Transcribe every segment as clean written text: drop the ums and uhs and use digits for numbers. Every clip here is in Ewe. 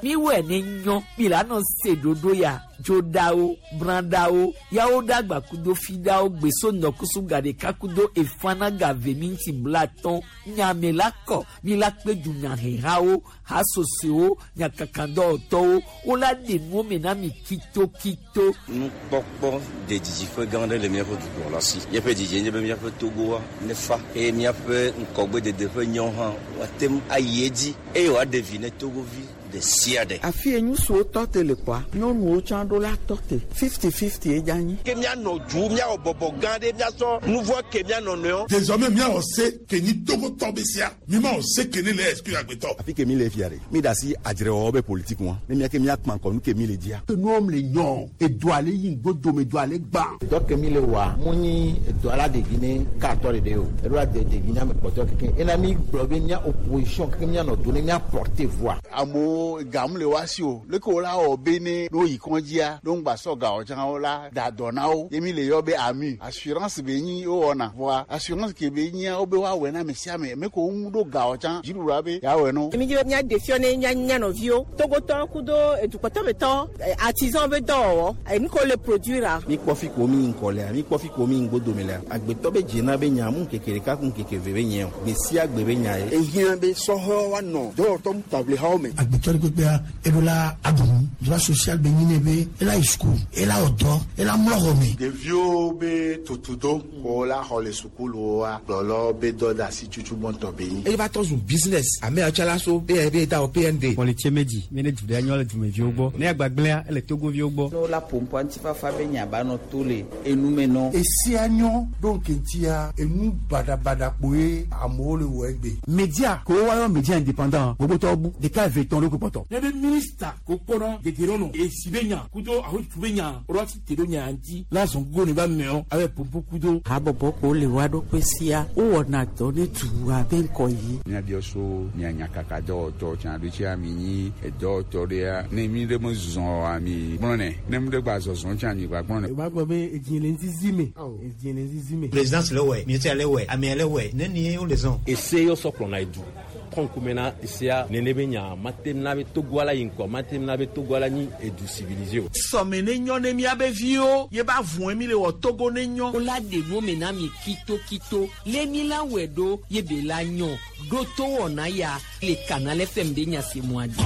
Miwɔe ne nyɔ mi la nɔ se ɖoɖo ya dzoɖawo brãɖawo yawo ɖagba kudo fiɖawo gbeso nɔkusu gaɖeka kudo efana gave minti blatɔn nyame la kɔ mi la kpe dunyahehawo hasosoewo nyakakadɔwɔtɔwo wola ɖe nuwo me na mi kitokito. Nukpɔkpɔ de didiƒe gã aɖe le míaƒe dukplɔla si. Míaƒe didie nye be míaƒe Togoa nefa eye míaƒe ŋkɔgbedede ƒe nyɔ hã woate ŋu ayi edzi eye wòaɖe vi ne Togovi ɖe sia ɖe. Afi ye ŋutsuwo tɔ te le kpɔa, nyɔnuwo tsã ɖo la tɔ te. Fifty-fifty ye dze anyi. Ke míanɔ du, míawɔ bɔbɔ gã ɖe, míasɔ nu vɔ̃ ke mía nɔnɔewo. Désormais míawɔ se ke nyi Togotɔ be sea, mímawɔ se ke ne le exclure agbetɔ. Afi ke mi le fia ɖe, mi ɖe asi adzrewɔwɔ be politique ŋua, ne mía ke mía kpa ŋkɔ nu ke mi le dzia. Enuwo le nyɔ, edoa le yi ŋgbodome, edoa le gbã. Dɔ ke mi le wɔa, mu nyi edoa la ɖevi ne katɔ ɖeɖe o, eɖo la de ɖevi ne ame kpɔtɔe keke. Ena mi gblɔ be mía opposition keke mía nɔ do ne mía porter voix. Amewo gam le woa si o, leke wo la wɔ be ne ne woyi kɔdzia, ne woŋgba sɔ ga o tsã wo la da dɔ na wo. Ye mi le yɔ be AMU, assurance be nyi wowɔna. Vɔa assurance ke be nyia wobe woawɔe na ame sia ame, ame ke wo ŋu ɖo ga o tsã, dziɖuɖua be yeawɔe na wo. Mi dzi be míaɖe fiɔ ne mía mía nɔviwo, Togotɔwo kudo edukpɔtɔmetɔwo, artisan be dɔwɔwɔ, enu ke wole produire-a. Mi kpɔ fi ko mi yi ŋkɔ lea, mi kpɔ fi ko mi yi ŋgbodome lea, agbetɔ be dzena be nya mu ŋkeke ɖeka ku ŋkeke eve be nyɛ o, gbe sia gbe be nya ye. Ehiã be sɔhɛwo woanɔ dɔwɔtɔ taʋlihawo me. Agbetɔ ɖe kpekpea, eɖo la aɖu nu. Droit social be nyi nɛ be ela yi suku, ela wɔ dɔ, ela mlɔ xɔ me. Ɖeviwo be tutudo ko la xɔ le sukuluwoa, kplɔlawo be dɔdeasi tutu gbɔntɔ be nyi. Eye va trɔ zu business. Ame ya tsa la so be be da wɔ PND. Kpɔlitse medzi mi ne du ɖe nyɔ le dumeviwo gbɔ. Ne agbagblẽa ele Togoviwo gbɔ. Ne wola ƒoƒua ŋutifafa be nya ba nɔ to le enu me nɔ. Esia nyɔ ɖo ŋkeŋtia enu baɖabaɖa kpoe amewo le wɔ egbe. Media ke woayɔ media indépendant gbogbotɔwo bu ɖeka eve etɔ̃ ɖo kpɔtɔ. Ne be minista ko kpɔna dedienɔnɔ esi be nya kudo ahotutu be nya woɖo asi te ɖo nya ŋuti la zɔn gogo ne ba meɔ abe pompo kudo. Habɔbɔ ko le woa ɖokui sia wowɔna dɔ ne dua be ŋkɔ yi. Míabiɔ so mia nyakakadɔwɔtɔ tsã ɖo tsia mi nyi edɔwɔtɔ ɖea ne mi ɖe mezɔ oa mi gblɔnɛ ne mi ɖe gba zɔzɔ tsã mi gba gblɔnɛ. Wòva gblɔ be edzi le ŋzizi me, edzi le ŋzizi me. Présidence le wɔe, ministère le wɔe, amea le wɔe, nenie wole zɔn. Ese yɔ sɔ kplɔna edu trɔ ŋkume na esea nene be nya mate na be Togoa la yi ŋkɔ mate na be Togoa la nyi edu civilisé o. Sɔme ne nyɔ ne míabe viwo ye ba vɔe mi le wɔ Togo ne nyɔ. Wola ɖe nuwo me na mi kitokito le mi la wɔe ɖo ye be la nyɔ ɖo to wɔna ya le Canal FM be nya se mɔa dzi.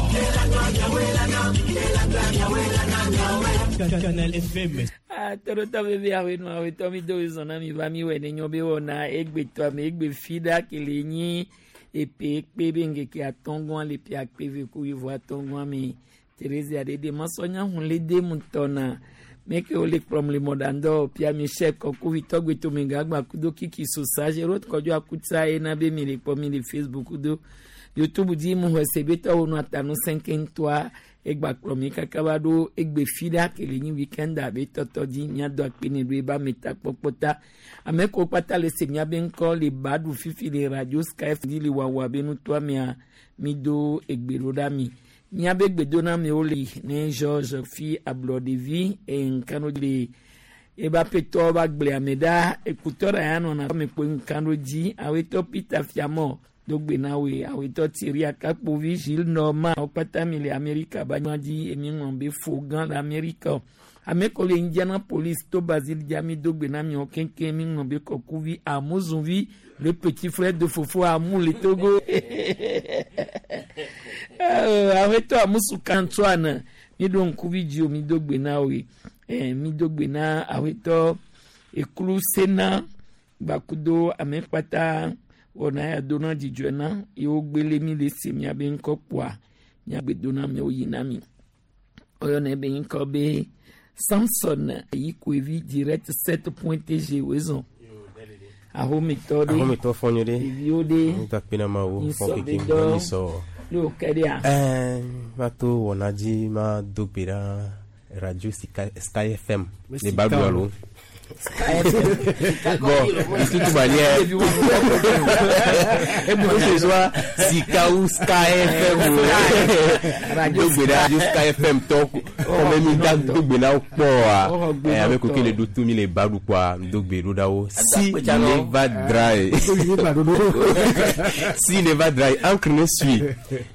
Canal FM. Ah, tɔɖotɔ veve aƒenɔ aƒetɔ mi do zɔn na mi va mi wɔe ne nyɔ be wɔna egbetɔ ame egbe fi ɖa ke le nyi epe kpe be ŋkeke atɔ̃gɔa le ƒe akpe eve ku wuieve atɔ̃gɔa me. Therese ɖeɖe masɔnya hun le de ŋutɔ na meke wole kplɔm le mɔɖaŋdɔ Pierre Michel Kɔkuvi tɔgbe tomegagba kudo Kiki Sosa Gerard Kɔdzo Akutsa ena be mi le kpɔ mi le Facebook kudo YouTube dzi mu xɔ se be tɔwo nu atanu sɛnkɛ ŋutɔa egba kplɔ mi kaka va ɖo egbe fi ɖa ke le nyi weekend abe tɔtɔ dzi miado akpe ne ɖo ebe ametakpɔkpɔ ta. Ame kewo kpata le se miabe ŋkɔ le ba ɖu fifi le Radio Sky dzi le wɔwɔ abe nutoa mea mi do egbe ɖo ɖa mi. Miabe gbedoname le ne George fi ablɔɖevi eye ŋkano le ebe aƒetɔ va gblẽ ame ɖa ekutɔ ɖa ya nɔna ame kpoe ŋkano dzi awetɔ Peter Fiamɔ do gbe na woe awetɔ Thierry Akakpovi Gilles Norman wo kpata mi le Amerika ba nyɔa dzi emi ŋlɔ be fo gã le Amerika. Ame ko le Indianapolis to Basile dza mi do gbe na miawo keŋkeŋ mi ŋlɔ be Kɔkuvi Amuzunvi le petit frère de Fofo Amu le Togo. Awetɔ Amusu Antoine mi ɖo ŋkuvi dzi o mi do gbe na woe. Mi do gbe na awetɔ Eklu Sena gbakudo ame kpata wɔna ya do na dzidzɔe na yewo gbele mi le se miabe ŋkɔ kpoa miagbe do na miawo yi na mi. Oyɔna be ŋkɔ be Samson Yikoevi direct 7.tg wezɔn. Ahometɔ ɖe. Ahometɔ fɔ nyuie ɖe. Ɖeviwo ɖe. Ŋutakpe na Mawu, fɔ Nsɔ keke be dɔ. ŋusɔ. Ne wò ke ɖea. Ma to wɔna dzi ma do gbe ɖa Radio Sky FM Me le sika Babu o. alo. Sky FM. Bon, de toute manière, que ce soit Sika ou Sky FM ou do gbe ɖa Radio Sky FM tɔ kɔmɛ mi da do gbe na wo kpɔa. Ame ko ke le ɖo to mi le Babu kpɔa, do gbe ɖo ɖa wo. Si ne va dry. Si ne va dry, encre ne suit.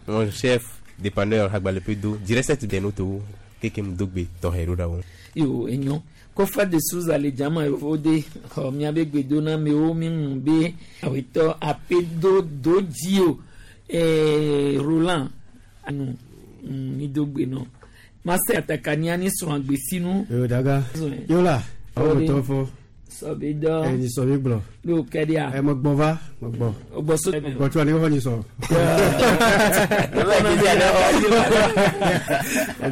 Mon chef. Dépanneur Agbalẽƒedo Direct Denoto kekem dogbe tɔxɛ ɖo ɖa wo. Yo enyo kɔfa de Souza le dzama yewo de xɔ miabe gbedonamewo mi ŋu be awetɔ apedo do dzi o Roland anu mi do gbe nɔ mase atakania ni srɔ̃ agbesinu. Yo daga yola awo Ɔdi. tɔ fɔ. Sɔbi dɔ. Ɛ ni sɔbi gblɔ. N'o kɛ di yan. Ɛ mɛ gbɔ va mɛ gbɔ. O gbɔ so. Gbɔ tso ani xɔ ni sɔ.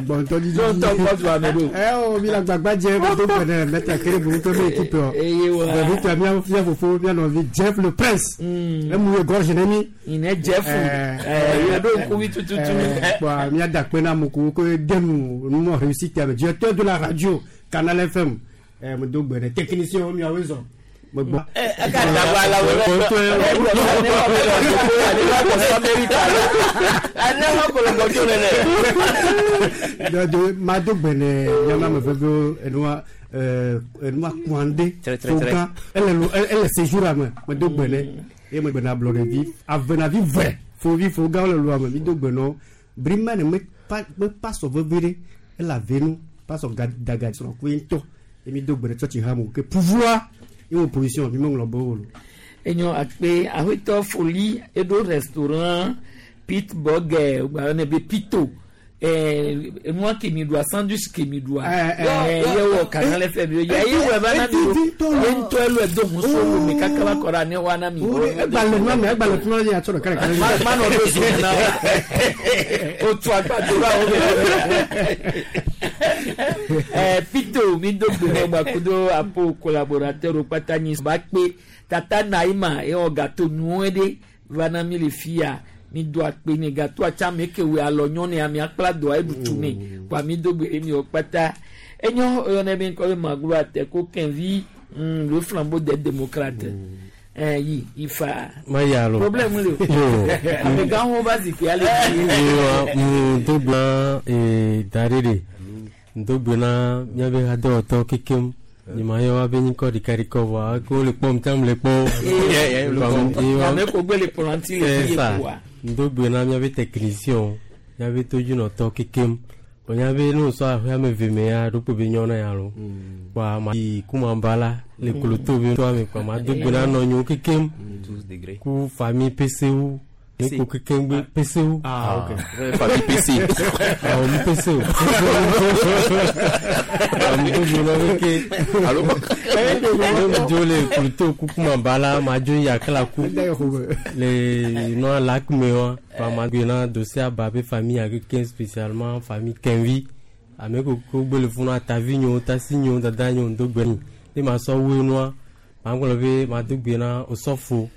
Gbɔ ŋutɔ didi. N'o tɔ gbɔ tu ame do. Ɛ o mi la gbagba jɛ mi do gbɛdɛ mɛtɛ kere bolo tó mi équipe yɔ. Eye wa. Bɛbi tɔ mia mia fofo mia nɔvi Jeff le prince. Emu ye gorge ne mi. Ine Jeff. Ɛ yɛ do nkuvi tututu. Bɔn mia da kpe na amewo ko denu numɔ réussite ame directeur de la radio Canal FM. Ɛ mo do gbɛdɛ technicien miawo zɔn. Mo gbɔ. Ma do gbɛnɛ miama me veve enua enua kuande fogan ele lo ele séjour ame me do gbɛnɛ ye me gbɛnɛ ablɔɖevi avenavi vɛ fovi fogan le lo ame mi do gbɛnɔ brima ne me pa me pa sɔ veve ɖe ele avenu pa sɔ daga srɔ̃ koe ŋutɔ ye mi do gbɛnɛ tsɔtsi hã mo ke pouvoir ye opposition mi me ŋlɔ be wo lo. Enyo akpe awetɔ foli eɖo restaurant Pittsburgh gba ne be Pito nua kemi ɖua sandwich kemi ɖua ye wɔ Canal FM ye ye wɔ eva na mi o ye ŋutɔ elo edo hun so wo mi kaka va kɔ ɖe ne wa na mi. Egbalẽ nua me egbalẽ fún ɔyɛ atsɔ ɖeka ɖeka. Ma nɔ ɖo zo na o tu agbado va wo me. Pito mi do gbe nɔ gbakudo apo collaborateur wo kpata nyi ba kpe tata Naima ye wɔ gâteau nyuie ɖe va na mi le fia mi do akpe ne gâteau atsa me ke wo alɔ nyɔnu ame akpla doa eɖu tu ne kpa mi do gbe ɖe mi wɔ kpata enyo oyɔnɛ be ŋkɔ be maglo ate ko kɛnvi le flambeau des démocrates yi ifa Ma ya lo. problème le o Yo. amegãwo va zikpui ale dzi. Ewa ŋdo gblã da ɖe ɖe ŋdo gbe na míabe hadewɔtɔwo kekem nyema yɔ woabe ŋkɔ ɖekaɖeka vɔa ke wole kpɔm tsam le kpɔ Ame ko gbe le kplɔ̃ le fi ye koa. ŋdo gbe na míabe technicien míabe todzinɔtɔ kekem bɔn míabe ne wosɔ aƒe ame eve me ya ɖokpo be nyɔ na ya lo kpoa ma yi kumaba la le koloto be toa me kpoa ma do gbe na nɔnyewo kekem ku famille PCU ne ko kekem gbe PCU. Ah, ok. Famille PC. Ah, mi PC o. Ami do gbe na be ke. Alo. Ne dzo le koloto ku kumaba la ma dzo yi akala ku le nɔa lac me wa kpoa ma gbe na dossier aba be famille ya kekem spécialement famille Kenvi ame ko ko gbe le funu atavi nyewo tasi nyewo dada nyewo ŋdo gbe ni ne ma sɔ woe nua ma gblɔ be ma do gbe na osɔfo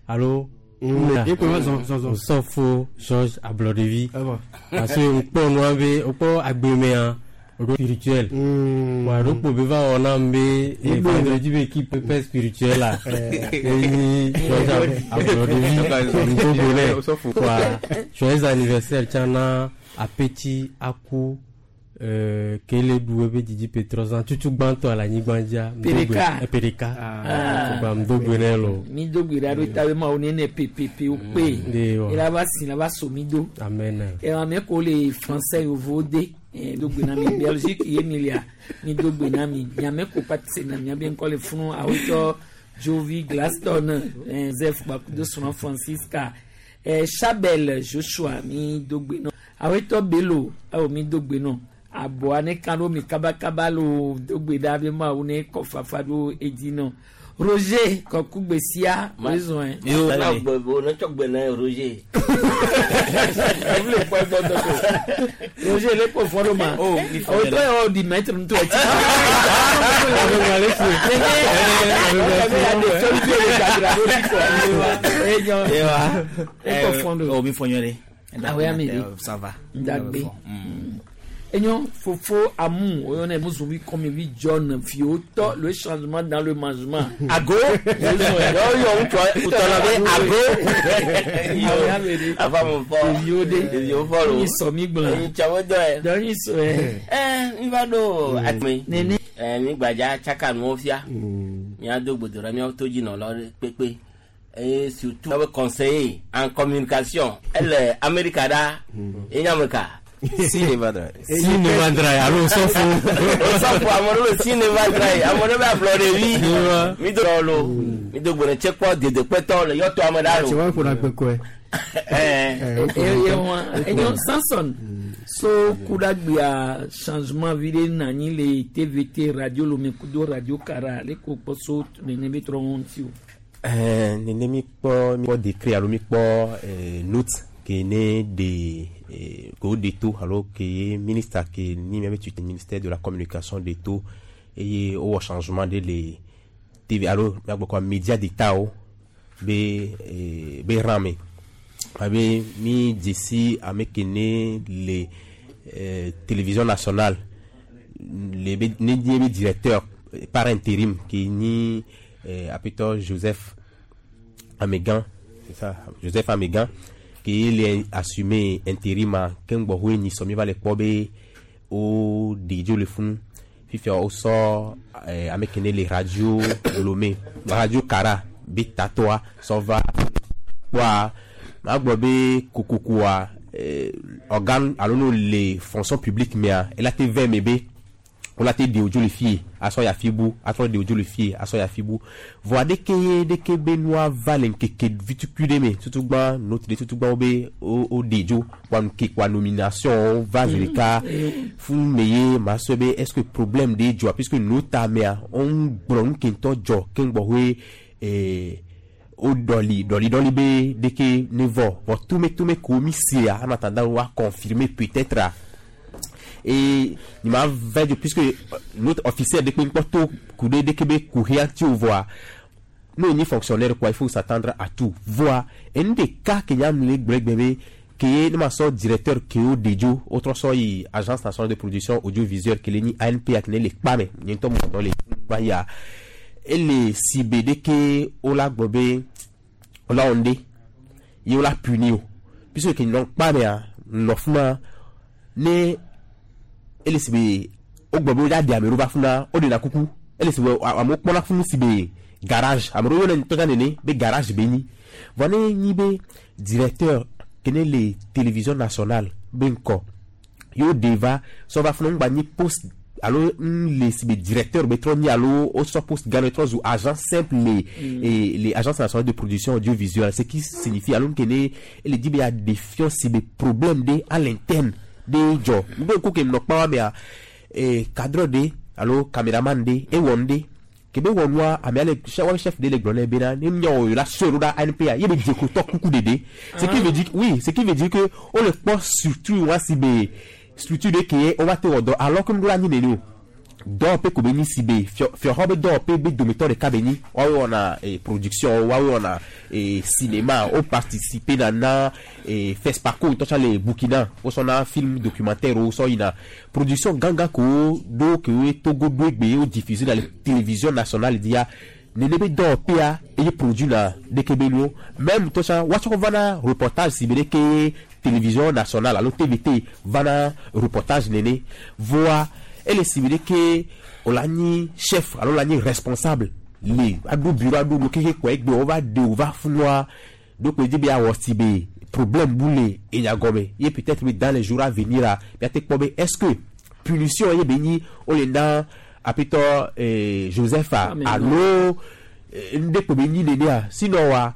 alo ye ko zɔn zɔn zɔn. osɔfo George Ablɔɖevi parce que ŋkpɔ nua be wokpɔ agbemea ɖo spirituel wa ɖo kpo be va wɔ nam be vendredi be équipe père spirituel la eyi George Ablɔɖevi ŋdo gbe nɛ wa joyeux anniversaire tsã na apeti aku kele ɖu ebe dzidzi petrɔzã tutu gbãtɔ le anyigba dzia Pereka. pereka gba ŋdo gbe nɛ lo mi do gbe ɖa ɖo ta be mawo nene pepepe wo kpe De wa. ela va si la va so mi do amen ame ko le français yovo de do gbe na mi Belgique ye mi lia mi do gbe na mi miame ko pati se na miabe ŋkɔ le funu awetɔ Jovi Glaston Zef gbakudo srɔ̃ Francisca Chabel Joshua mi do gbe nɔ awetɔ Bello awo mi do gbe nɔ aboa ne kan ɖo mi kabakaba lo do gbe ɖa be mawo ne kɔ fafa ɖo edzi nɔ Roger kɔkugbe sia wezɔn Yo, na gbe bo ne tsɔ gbe na Roger. le kpɔ egbɔ dɔ ko Roger le kpɔ fɔ ɖo ma Oh, mi fɔ o ɖe tɔ la. yɛ o di mɛtre ŋutɔ ɛti. Ewa. Ekɔ fɔ ɖo. Oh, mi fɔ nyɔ ɖe. Awɔ ya mi ɖe. Ça va. Ndagbe. Enyo fofo amu oyɔnɛ musovi kɔmi John fiwo tɔ le changement dans le mangement. Ago. Yɔ yɔ ŋutsua ŋutɔ la be ago. Afa mo fɔ. Ɖeviwo de. Ɖeviwo fɔ lo. Nyi sɔ mi gblɔ. Enyi tsawo dɔ yɛ. Dɔ nyi sɔ yɛ. Ɛ mi va ɖo atme. Nene. Ɛ mi gbadza tsaka nuwo fia. Míado gbedo ɖe míawo to dzi nɔlawo ɖe kpekpe. Eye surtout abe conseiller en communication ele Amerika ɖa ye nye ame ka. Cinema Dry. Cinema Dry alo Osɔfo. Osɔfo ame ɖewo be Cinema Dry ame ɖewo be ablɔɖevi. Mi do lo mi do gbe ne tse kpɔ dedekpetɔ le yɔtɔ ame ɖa lo. Tse wa ƒona gbekɔe. Enyo Samson so kuɖagbea changement vi ɖe na anyi le TVT radio lome kudo radio kara le ko kpɔ so nene be trɔ ŋuti o. Nene mi kpɔ mi kpɔ décret alo mi kpɔ note ke ne de ke wo de to alo ke ye ministre ke ni miabe tu ministère de la communication de to eye wowɔ changement ɖe le TV alo miagblɔ kɔ média d'état wo be rang me abe mi dzesi ame ke ne le télévision nationale le be ne nye be directeur par intérim ke nyi apetɔ Joseph Amegan, c'est ça, Joseph Amegan ke le assumer intérim a keŋ gbɔxɔe nyi sɔ mi va le kpɔ be wo ɖe dzo le funu fifia wosɔ ame ke ne le radio Lomé radio Kara be tatɔa sɔ va kpɔa magblɔ be kokokoa organe alo no le fonction publique mea ela te vɛ me be wola te ɖe wodzo le fie asɔ ya fi bu atrɔ ɖe wodzo le fie asɔ ya fi bu vɔa ɖeke ye ɖeke be nua va le ŋkeke vitukui ɖe me tutugbã note ɖe tutugbã wo be wo ɖe dzo kpoa nuke kpoa nomination va zi ɖeka fún me ye ma sɔe be est ce que problème ɖe dzɔa puisque nota mea wo gblɔ nu ke ŋutɔ dzɔ keŋ gbɔxɔe wo ɖɔli ɖɔli ɖɔli be ɖeke ne vɔ vɔ tumetome ko mi sea en attendant wa confirmer peut-être et il m'a fait puisque notre officier de kpɔ to ku ɖe ɖeke be kuxia ŋuti o vɔa n'o nyi fonctionnaire quoi, il faut s'attendre à tout voa enu ɖeka ke nya le gblɔ egbe be ke ye ne ma sɔ directeur ke wo de dzo wotrɔ sɔ yi agence nationale de production audiovisuelle ke le nyi ANPA ke ne le kpa me nye ŋutɔ mɔ dɔ le va yia ele si be ɖeke wola gblɔ be wola wɔ ŋɖe ye wola puni o puisque ke nɔ kpa mea nɔ fima ne ele si be wogblɔ be wodza ɖe ame ɖewo va funa woɖena kuku ele si be amewo kpɔna funu si be garage ame ɖewo yɔnɛ ŋutɔ nene be garage be nyi vɔ ne nyi be directeur ke ne le télévision nationale be ŋkɔ yewo ɖe va sɔ va funu ŋgba nyi poste alo ń le si be directeur be trɔ nyi alo wosɔ poste gã trɔ zu agent simple le et les agences nationales de production audiovisuelle, ce qui signifie alo ke ne ele di be ya défiant si be problème de à l'interne de dzɔ ŋgbe ko ke nɔ kpa wa mea cadre de alo caméraman de ewɔ ŋɖe kebe wɔ nua ame ale chef chef de le gblɔ nɛ bena ne nya wɔ la sɔe ɖo ɖa ANPA ye be dzekotɔ kuku ɖeɖe, ce qui veut dire, oui, ce qui veut dire que wo le kpɔ structure wa si be structure de ke wo va te wɔ dɔ alors que ŋɖo la nyi nene o dɔwɔƒe ko be nyi si be fiɔxɔ be dɔwɔƒe be dometɔ ɖeka be nyi woawo wɔna production woawo wɔna cinéma wo participer na na FESPACO ŋutɔ tsã le Burkina wosɔna film documentaire wo sɔ yina production gãgã kewo ɖo kewo Togo ɖo egbe wo diffuser na le télévision nationale dia nene be dɔwɔƒea eye produit na ɖeke be nuwo même ŋutɔ tsã woatsɔ vana reportage si be ɖeke télévision nationale alo TVT vana reportage nene voa ele si be ɖeke wòle nyi chef alo la nyi responsable le aɖo bureau aɖo nu keke kɔ egbe wova ɖe wova funua donc dzi be awɔ si be problème bu le enya gɔme ye peut-être be dans les jours à venir la miate kpɔ be est-ce que punition ye be nyi wole na apetɔ Joseph a alo ŋɖe kpo be nyi nenea sinon wa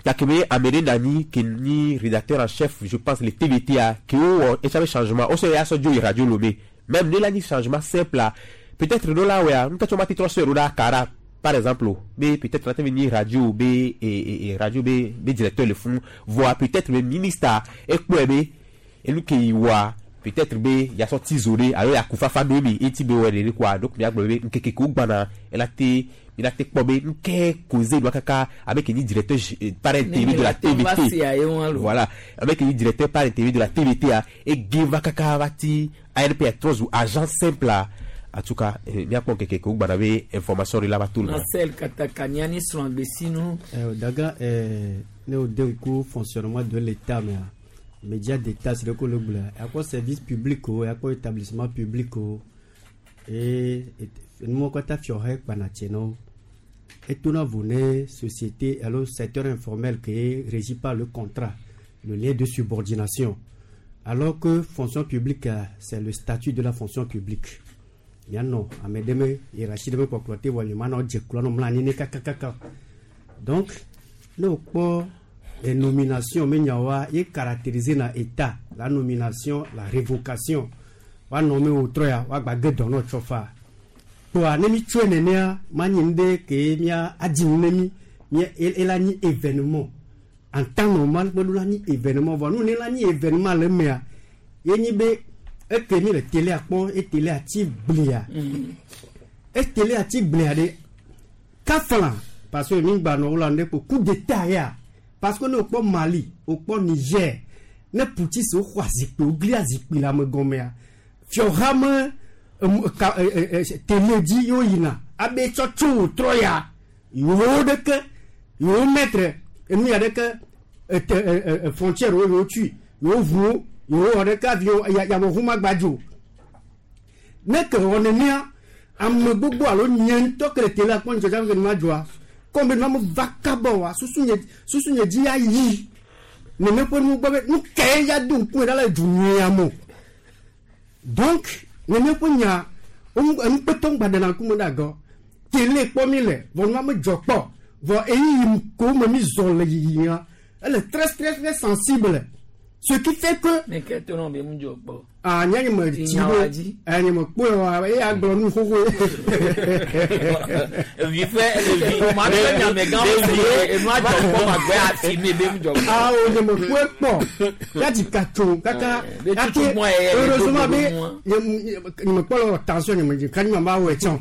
gake be ame ɖe na anyi ke nyi rédacteur en chef, je pense, le TVT a ke wowɔ etsa be changement wosɔ ya sɔ dzo yi radio Lomé même ne la nyi changement simple la peut-être ɖo la wɔa ŋutɔ tsɔ ma te trɔ sɔe ɖo ɖa Kara par exemple be peut-être la te nyi radio be e radio be directeur le funu voa peut-être be ministre ekpɔe be enu ke yi wɔa peut-être be yasɔ ti zo ɖe alo yakufafa ɖo emi eti be wɔ ɖe quoi. Donc miagblɔ be ŋkeke ke wogbana ela te mina te kpɔ be ŋke cause nua kaka avec nyi directeur par intérim de la TVT, voilà, avec nyi directeur par intérim de la TVT a ege va kaka va ti ANP trɔ zu agent simple la. En tout cas, miakpɔ ŋkeke ke wogbana be information ɖe la va to le. Marcel Katakania ni srɔ̃gbesinu. Daga ne o de ŋku fonctionnement de l'état mea média d'état c'est le ko le gblɔ akpɔ service public o akpɔ établissement public o et nuwo katã fiɔxe kpana tse na wo. Etona vo ne société alo secteur informel qui est régi par le contrat, le lien de subordination. Alors que fonction publique, c'est le statut de la fonction publique. Mianɔ ame ɖe me hiérarchie ɖe me kpɔkplɔ te vɔ nye manɔ dze kplɔ nɔ mlɔ anyi ne kakakaka. Donc ne wokpɔ les nominations me nyawoa ye caractérisé na état la nomination, la révocation. Woanɔ me wotrɔ ya woagba ge dɔ nɔ tsɔ fa. Kpoa ne mi tsɔe nenea manyi nu ɖe ke mía adzi nu ne mi mía ela nyi événement. En temps normal meɖo la nyi événement vɔ nu ne la nyi événement le emea ye nyi be eke mi le télé kpɔ e télé ati glia. E télé ati glia ɖe kafla parce que mi gba nɔ wo la nu ɖe kpo coup d'état ya parce que ne wokpɔ Mali wokpɔ Niger ne putschistes woxɔ azikpui wogli azikpui le ame gɔmea fiɔha me ka télé dzi yewo yina abe tsɔ tso wòtrɔ ya yewo ɖeke yewo maître enu ya ɖeke ete frontière wo yewo tui yewo ʋuwo yewo wɔ ɖeke avi yameʋu ma gba dzo ne ke wɔ nenea ame gbogbo alo nye ŋutɔ ke le télé akpɔ nyitsɔ ke ma dzɔa kɔm be nua me va kaba oa susu nye dzi ayi nene ƒe nu gbɔ be nu ke ya do ŋkume ɖa le du nyuia me o. Donc nene ƒe nya enukpetɔ ŋgba ɖena ŋkume ɖe agɔ télé kpɔ mi le vɔ nua me dzɔ kpɔ vɔ eyi ko me mi zɔ le yiyia ele très très très sensible ce qui fait que. Ne ke to nɔ be mu dzɔ kpɔ. Ah nye me tsi ɖo nye me kpɔe wa eye agblɔ nu xoxo. Vi fɛ ɖevi ma bɛ nyamegã wo enua dzɔ kpɔ ma gbɛ afi mi be mu dzɔ kpɔ. Ah o nye me kpɔe kpɔ yati katso kaka yati heureusement be nye me kpɔ le tension nye me dzi kanyi ma ba wɔ etsɔn.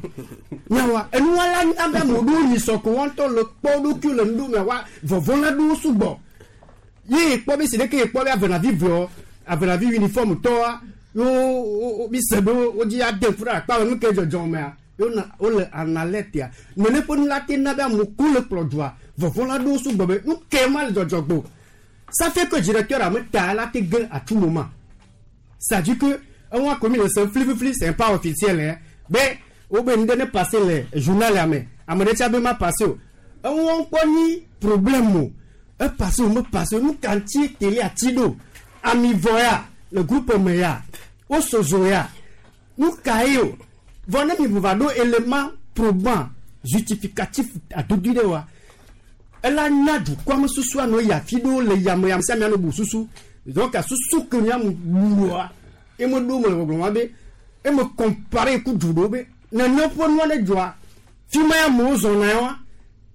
Nyawa enua la abe ame ɖewo nyi sɔko wɔn tɔ le kpɔ ɖokui le nuɖu me wa vɔvɔ la ɖo sugbɔ. Ye kpɔ be si ɖeke ye kpɔ be avenavi veɔ avenavi uniforme tɔa yo mi se be wo dzi ade ƒu ɖe akpa nu ke dzɔdzɔ mea yo na wo le analɛtia nene ƒe nu la te na be amewo le kplɔ dua vɔvɔ la ɖo sugbɔ be nu ke ma le dzɔdzɔ gbo ça fait que directeur ame ta la te ge à tout moment. Ça dit que on a commis le seul flifli, c'est pas officiel hein be wo be nu ne passer le journal ame ame ɖe tsa be ma passer o on kpɔ ni problème o e passer o me passer nu kanti télé ati ɖo ami vɔ ya le groupe me ya wo sozo ya nu ka ye o vɔ ne mi va ɖo élément probant justificatif adodo ɖe wa ela nya dukɔa me susua nɔ yi afi ɖewo le yame yame sia mianɔ bu susu donc susu ke miamu bua eme ɖo me le gbɔgblɔ ma be eme compare ku du ɖewo be nene ƒe nua ne dzɔa fi ma ya amewo zɔna ya wa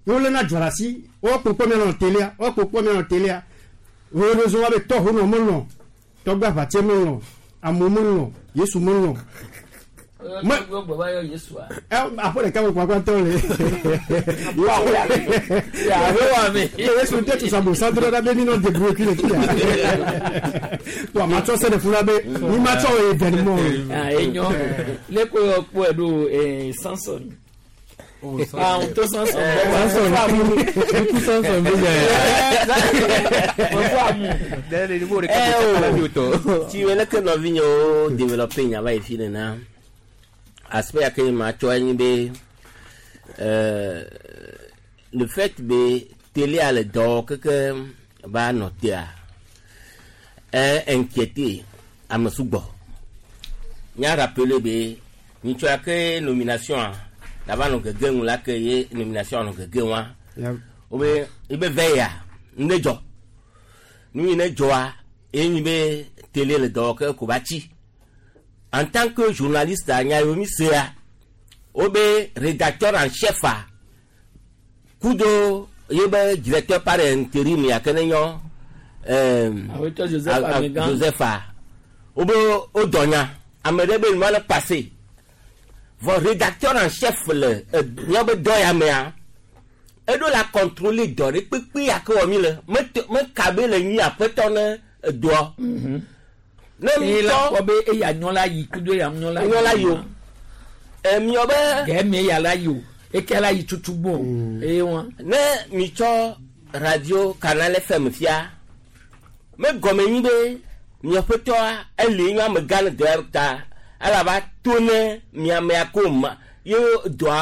yewo lena dzɔ ɖe asi woakpɔkpɔ mianɔ télé woakpɔkpɔ mianɔ télé heureusement be tɔxo nɔ melɔ tɔgbe aʋatse melɔ amewo melɔ Yesu melɔ. Aƒe ɖeka me kpakpa tɔ le. Yesu tɛ tu sabo santo ɖe be mi nɔ débrouiller kui le fi ya. To ama tsɔ se ɖe fu la be mi ma tsɔ événement. Ah enyo le ko yɔ kpɔe ɖo Samson. Ah, on te Samson. Samson. Samson be nya. Ti wele ke nɔvi nyewo développer nya va yi fi nena. Aspect ya ke ma tsɔ enyi be le fait be télé a le dɔ keke va nɔ tea inquiété ame sugbɔ. Nya rappeler be nyitsɔ ya ke nomination a la va nɔ gege ŋu la ke ye nomination nɔ gege wa. Wo be ebe ve ya ne dzɔ. Nu yi ne dzɔa enyi be télé le dɔ ke ko va tsi. En tant que journaliste a nya yomi sea wo be rédacteur en chef a kudo ye be directeur par intérim ya ke ne nyɔ Joseph Amegã. Joseph a wo be wo dɔ nya ame ɖe be nua le passé vɔ rédacteur en chef le míabe be dɔ ya mea eɖo la contrôler dɔ ɖe kpekpe ya ke wɔ mi le me ka be le nyi aƒetɔ ne edɔa. Ne mi tɔ kpɔ be eya nyɔ la yi kudo eya nyɔ la yi. Nyɔ la yi o. Miɔ be. Gɛ mi eya la yi o eke la yi tutu gbɔ eye wa. Ne mi tsɔ radio Canal FM fia me gɔme nyi be miaƒetɔa ele nyɔ amegã le dɔ ya ta alaba to ne miamea ko ma ye dɔa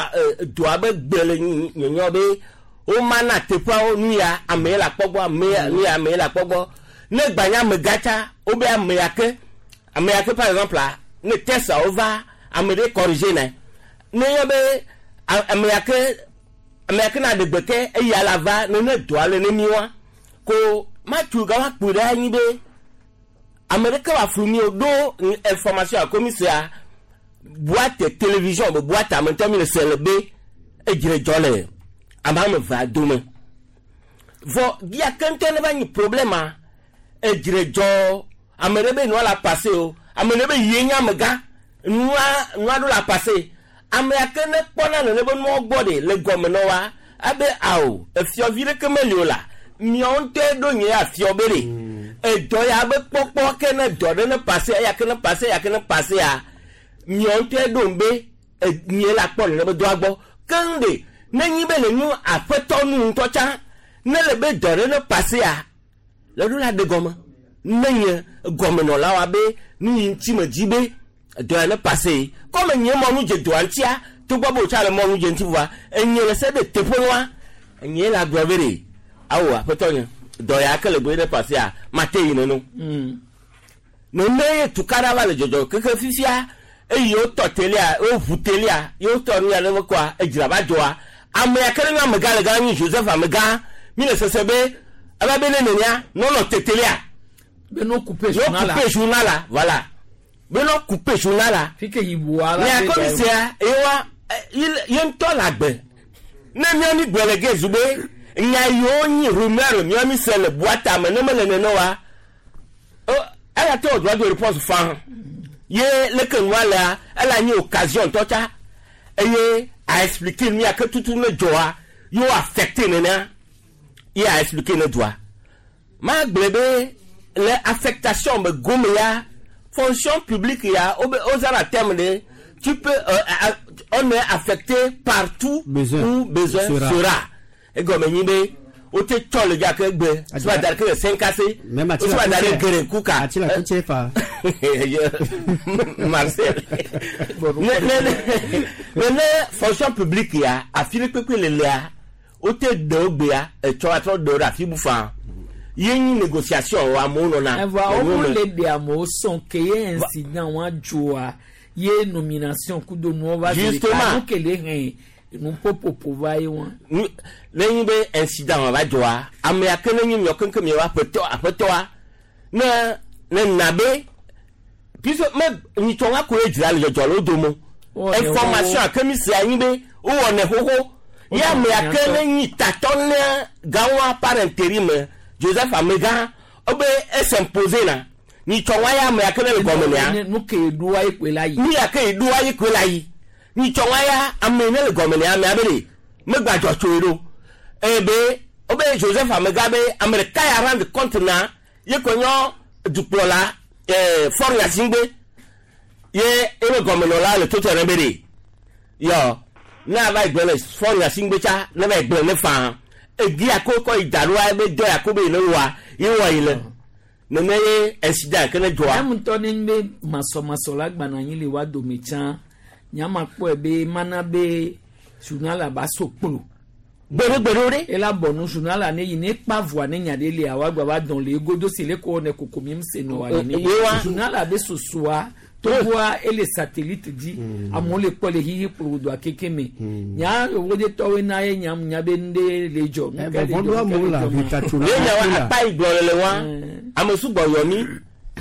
dɔa be gbe le nyɔnyɔ be womana teƒeawo nu ya ame ye le akpɔ gbɔ ame ya nu ya ame ye le akpɔ gbɔ ne gbanya amegã tsa wobe ame ya ke ame ya ke par exemple la ne test-awo va ame ɖe corriger ne ne yɔ be ame ya ke ame ya ke na ɖe gbe ke eya la va ne ne dɔa le ne mi wa ko matu ga wa kpui ɖe anyi be ame ɖeke wa flu mi o ɖo information a commissaire boîte télévision be boîte ame ŋutɔ mi le se le be edzre dzɔ le ame ame evea dome vɔ gia ke ŋutɔ ne va nyi problème a edzre dzɔ ame ɖe be nua la passé o ame ɖe be yie nye amegã nua nua ɖo la passé ame ya ke ne kpɔna nene be nua gbɔ ɖe le gɔme nɔ wa abe awo efiɔvi ɖeke meli o la miawo ŋutɔe ɖo nye afiɔ be ɖe edɔ ya be kpɔkpɔ ke ne dɔ ɖe ne passé eya ke ne passé eya ke ne passé ya miawo ŋutɔe ɖo be nye la kpɔ nene be dɔa gbɔ keŋ ɖe ne nyi be le nu aƒetɔ nu ŋutɔ tsã ne le be dɔ ɖe ne passé ya le ɖo la ɖe gɔme ne nye gɔmenɔlawo be nu yi ŋuti me dzi be dɔ ya ne passé kɔme nye mɔnu dze dɔa ŋutia togbɔ be wòtsa le mɔnu dze ŋuti vɔa enye le se ɖe teƒe nua enye la gblɔ be ɖe awo aƒetɔ nye dɔ ya ke le gbe ɖe passé ya mate yi neno nene ye tukaɖa va le dzɔdzɔ keke fifia eye wotɔ telia woʋu telia ye wotɔ nu ya ɖe kɔa edzra va dzɔa ame ya ke ne nye amegã le gã nyi Joseph amegã mi le sese be eva be ne nenia nɔnɔ te telia be no couper journal la no couper journal la voilà be no couper journal la fi ke yiboa la ne akɔ mi sia ye wa ye ŋutɔ le agbe ne mía mi gblɔ le ge zu be nya yiwo nyi rumeur mía mi se le boîte me ne mele nene wa eya te wò droit de réponse fan ye leke nua lea ele anyi occasion ŋutɔ tsa eye a expliquer nu ya ke tutu ne dzɔa ye wo affecté nenea ye a expliquer ne doa ma gblɔ be le affectation me gome ya fonction publique ya wo be wozãna terme de tu peux on est affecté partout besoin où besoin sera. Sera egɔme nyi be wote tsɔ le gake gbe sima da ɖe ke le senkase Même wo sima da ɖe gereku ka Ati la kuche fa. Marcel ne ne ne ne ne fonction publique ya afi ɖe kpekpe le lea wote ɖewo gbea etsɔ atrɔ ɖewo ɖe afi bu faa ye nyi négociation wo amewo nɔna Evoa le wo wo me. le ɖe amewo sɔn ke ye incident wa dzoa ye nomination kudo nuwo va zi ɖeka Justement. nu ke le hɛn nuƒoƒoƒo va ye wa. Ne nyi be incident wa va dzɔa amea ke ne nyi miɔ keŋkeŋ miɔ aƒetɔ aƒetɔa ne ne na be puisque me nyitsɔ wa koe dzra le dzɔdzɔ le wo dome Wowɔnɛ information xoxo. ake mi se anyi be wowɔnɛ xoxo ye amea ke ne nyi tatɔ ne gãwoa par intérim Joseph Amegã wobe es'impose na nyitsɔ wa ya amea ke ne le gɔme nea Nu ke ɖoa ye koe la yi. nu ya ke ɖoa ye koe la yi nyitsɔ wa ya ame ne le gɔme nea amea be ɖe megbadzɔ tsoe ɖo eye be wobe Joseph Amegã be ame ɖeka ya rendre compte na ye ko nyɔ dukplɔla Faure Gnassingbé ye ebe gɔmenɔla le toto ne be ɖe yɔ ne ava yi gblɔ le Faure Gnassingbé tsa ne va yi gblɔ ne faa egi ya ko kɔ yi da ɖoa ebe dɔ ya ko be yi ne wɔa ye wɔ yi le nene ye incident ke ne dzɔa. Ame ŋutɔ ne nye be masɔmasɔ la gbana anyi le wa dome tsã nyama kpɔe be mana be journal la ba so kplo. Gbeɖegbeɖewo ɖe. Ela bɔ nu journal la ne yi ne kpa voa ne nya ɖe lia wa gba va dɔn le egodo si le ko ne koko mi se nɔ wa nene. Ye wa. Journal la be sosoa togoa ele satellite dzi amewo le kpɔ le xixi kplo doa keke me. Nya wo de tɔwoe na ye nya nya be nu ɖe le dzɔ. Nu ke le dzɔ, nu ke le dzɔ ma. Ye nya wa akpa yi gblɔ le le wa ame sugbɔ yɔ mi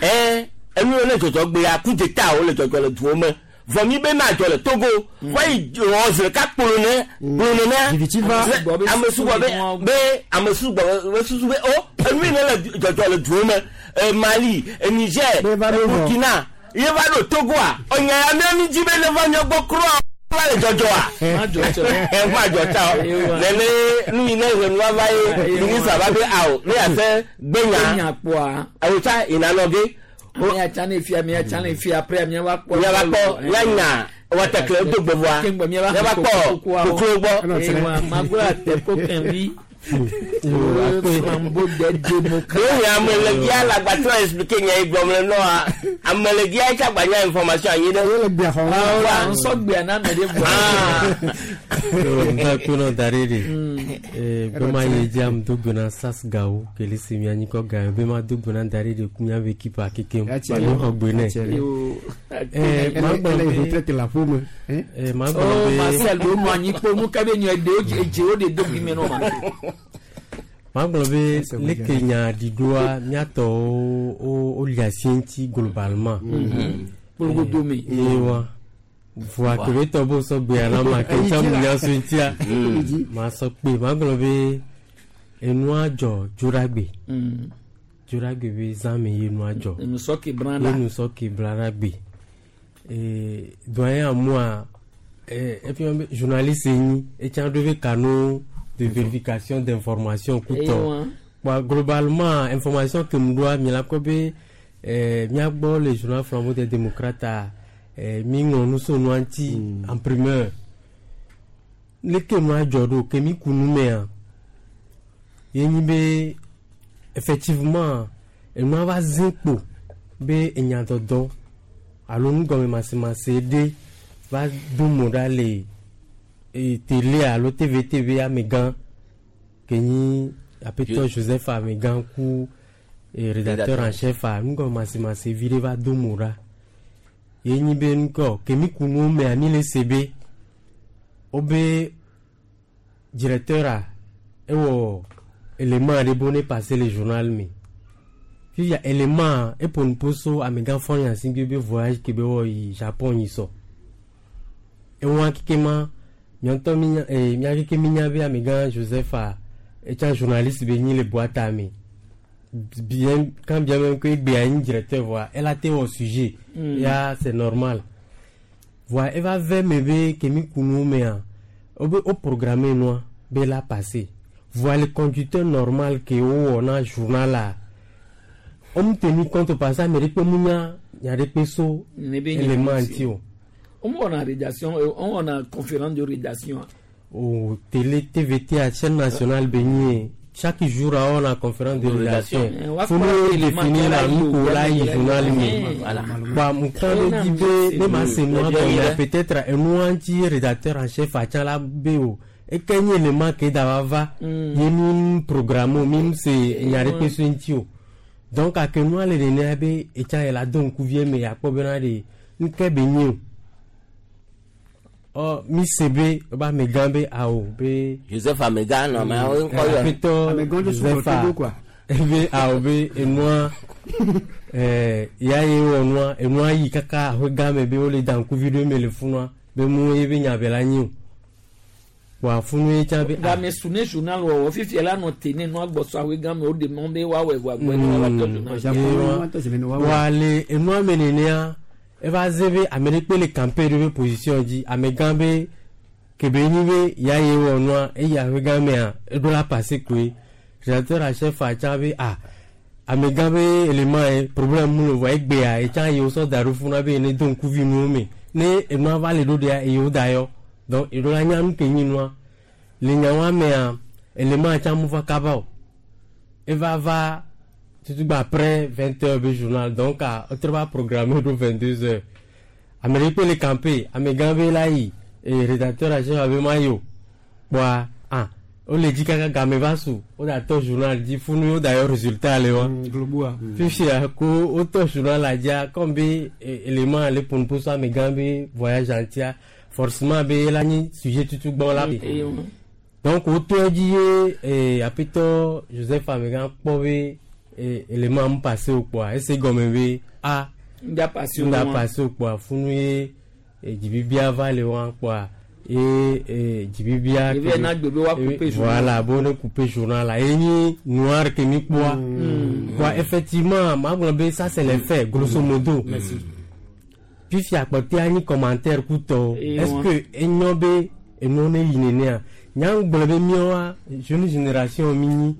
ɛ enu yiwo ne dzɔdzɔ gbea ku dzeta wo le dzɔdzɔ le duwo me vɔ mi be ma dzɔ le Togo vɔ yi wɔ zi ɖeka kplo ne kplo nenea ame sugbɔ be be ame sugbɔ be susu be o enu yi ne le dzɔdzɔ le duwo me Mali Niger Burkina ye va ɖo Togoa ɔnya ya mía mi dzi be ne va mía gbɔ kura va le dzɔdzɔa ma dzɔ ta o nene nu yi ne ʋenu va ye ministre va be awo ne yase gbenya Gbenya kpɔa. awo tsa yina nɔ ge Mía tsã ne fia mía tsã ne fia après mía va kpɔ. mía va kpɔ mía nya wɔtɛkle do gbɔvɔa Keŋgbɔ mía va mía va kpɔ koklo gbɔ. Ewa magblɔ ate ko kɛnvi. Flambeau des démocrates. Lóyún amelegia lagbatɔ expliqué nya yi gblɔm le nɔa amelegia yi tsagba nya information anyi ɖe. Yele gbea xɔ la. Nsɔ gbea na ame ɖe vɔ. Nta kpena da ɖe ɖe. Be ma ye dzi am do gbe na SAS gawo kele si mia nyikɔ ga be ma do gbe na da ɖe ɖe ku mia be ekipa kekem. Mi xɔ gbe nɛ. Ma gblɔ be retraite la ƒome. Ma gblɔ be. Marcel do nɔ anyi kpo nu ke be nyɔ ɖewo dzewo ɖe do gbi me nɔ ma. Ma gblɔ be leke nya ɖiɖoa miatɔwo wo li asi ŋuti globalement. Kpolgodome. Ye wa. Voa kebe tɔ bo sɔ gbea na ma ke tsã mu nya so ŋutia. Ma sɔ kpe ma gblɔ be enua dzɔ dzoɖagbe. Dzoɖagbe be zã me ye nua dzɔ. Enusɔ ke bla la. Enusɔ ke bla la gbe. Doyen amua efia be journaliste nyi etsã ɖo be canaux de vérification d'information kutɔ. Kpa globalement information ke mu ɖoa mi la kpɔ be miagbɔ le journal Flambeau des démocrates mi ŋlɔ nu so nua ŋuti en primeur. Leke nua dzɔ ɖo ke mi ku nu mea ye nyi be effectivement enua va zĩ kpo be enyadɔdɔ alo nugɔmemasemase ɖe va do mo ɖa le télé alo TVTV amegã ke nyi aƒetɔ Joseph amegã ku rédacteur en chef a nugɔmemasemase vi ɖe va do mo ɖa. Ye nyi be nukɔ ke mi ku nuwo mea mi le se be wobe directeur a ewɔ élément aɖe be ne passer le journal me. Fifia élément eƒo nu so amegã fɔ nya si be voyage ke be wɔ yi Japon yi sɔ. Ewa keke ma miɔntɔ mi nya mia keke mi nya be amegã Joseph a etsa journaliste be nyi le boîte me. Bien quand bien même que egbea nyi directeur voa ela te wɔ sujet. Ya c'est normal. Voa eva ve me be ke mi ku nu mea wobe wo programme nua be la passer. Voa le conducteur normal ke wowɔ na journal la on tenu compte parce que ame ɖe kpe mu nya nya ɖe kpe so élément ŋuti o. On wɔna rédaction, on wɔna conférence de rédaction. O télé TVT à chaîne nationale be nyi chaque jour on a conférence de rédaction. Faut nous définir la nu ko la yi journal me. Ba mu kan be di be ne ma se nua gɔmea peut-être enua ŋuti rédacteur en chef atsã la be o. Eke nye élément ke da va va ye mi programme mi se nya ɖe kpe so ŋuti o. Donc ake nua le nenea be etsa ye la do ŋkuvie me akpɔ bena ɖe nuke be nyi o. Ɔ mi se be ba amegã be awo be. Joseph amegã nɔ ameawo ŋkɔ yɔ. Aƒetɔ Joseph be awo be enua ya ye wɔ nua enua yi kaka aƒe gã me be wole da ŋkuvi ɖo me le funua be mu ye be nya be la nyi o. Wa funu ye tsã be. Game su ne journal wɔwɔ fifia la nɔ te ne nua gbɔsɔ aƒe gã me wo ɖe mɔ be woawɔe vɔ agbɔ ne woava tɔ journal. Wa le enua me nenea eva ze be ame ɖe kpe le campaign ɖe be position dzi amegã be kebe nyi be ya ye wɔ nua eye aƒe gã mea eɖo la passer koe rédacteur en chef atsã be ah amegã be élément ye problème mu le vɔ egbea etsã ye wosɔ da ɖo funua be ne do ŋkuvi nuwo me ne enua va le ɖo ɖea eye wo da yɔ. Donc eɖo la nya nu ke nyi nua le nyawoa mea élément atsã mu va kaba o eva va tutugba après 20h be journal donc wotrɔ va programme ɖo 22h ame ɖe kpe le campé amegã be la yi rédacteur en chef abe ma yi o kpɔa ah wole dzi kaka game va su woda tɔ journal dzi funu woda yɔ résultat le wa fifia ko wotɔ journal la dzia comme be élément le ƒonuƒo so amegã be voyage ŋutia forcément be la nyi sujet tutugbɔ la donc wotɔ edzi ye aƒetɔ Joseph amegã kpɔ be élément mu passé o kpɔa ese gɔme be a ŋda passé o kpɔa funu ye dzibibia va le wa kpɔa ye dzibibia voilà bo ne couper journal la ye nyi noir ke mi kpɔa kpɔa effectivement ma gblɔ be ça c'est les faits grosso modo. Fifia kpɔtɛ anyi commentaire kutɔ est-ce que enyo be enuwo ne yi nenea nya gblɔ be míawoa jeune génération mi nyi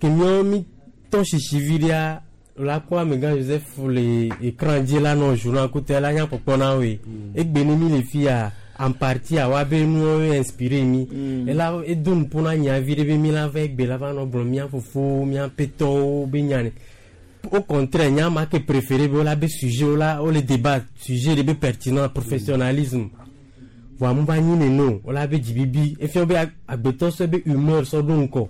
ke míawo mi tɔ sisi vi ɖea la kpɔ amegã Joseph le écran dzi la nɔ journal kutɔ la nya kpɔkpɔ na woe egbe ne mi le fia En partie a wa be nuwo inspiré mi. Ela edo nuƒo na nyavi ɖe be mi la va egbe la va nɔ gblɔ mía fofowo, mía ƒetɔwo be nya ne. Au contraire, nya ma ke préféré be wola be sujet wola wole débat sujet ɖe be pertinent professionnalisme. Voa mu va nyi nene o, wola be dzibibi efia be agbetɔ sɔ be humeur sɔ ɖo ŋkɔ.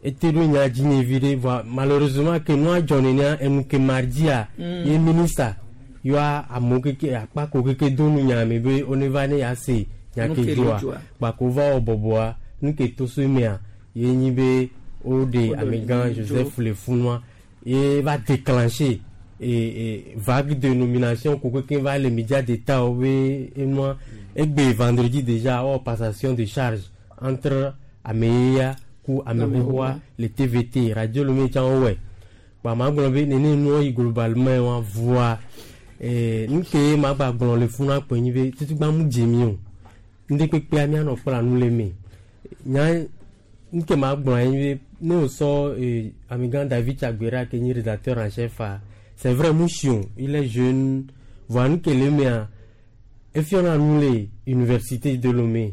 Ete ɖo nya dzi nye vi ɖe voa malheureusement ke nua dzɔ nenea enu ke mardia ye ministre yɔa amewo keke akpako keke do nu nya me be wone va ne ya se nya Nu ke ke le dzɔa dzɔa. kpako va wɔ bɔbɔa nu ke to so emea ye nyi be woɖe Woɖe amegã dzo. Joseph le funua ye va déclencher et vague de nomination ko keke va le média d'état wo be enua egbe vendredi déjà wɔ passation de charge entre ameyeya ku ame xoxoa le TVT radio Lomé tsã wowɔe kpa ma gblɔ be nene nuwo yi globalement wa voa nu ke ma gba gblɔ le funa kpe nyi be tutugba mu dze mi o ŋɖe kpekpea mianɔ kpla nu le me nya nu ke ma gblɔ anyi be ne wòsɔ amegã David Tsagbera ke nyi rédacteur en chef a c'est vrai mu si o il est jeune voa nu ke le mea efiɔna nu le université de Lomé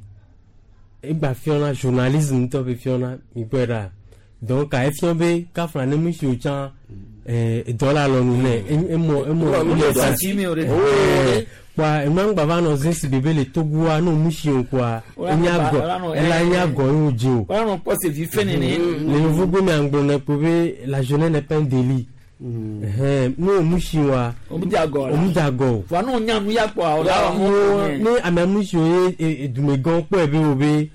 egba fiɔna journalisme ŋutɔ be fiɔna mi gbɔe ɖa donc efiɔ be kafla ne mu si o tsã edɔ le alɔnu nɛ emɔ emɔ Emɔ sati mi o ɖe. Kpoa enua ŋgba va nɔ zẽ si bebe le Togoa ne mu si o kpoa Wala enya nɔ ba- gɔ wala nɔ- ela enya gɔ ye o dzi o. Wala nɔ kpɔ se vi fɛ nene. Le yevugbe mea ŋgblɔ nɛ kpo be la jeunesse n'est pas un délit. Ɛhɛn, ne o mu si wa O mu dze agɔ la. o mu dze agɔ o. Voa ne o nya nu ya kpɔa o la wɔ Ne ame mu si o ye dumegãwo kpɔe be wo be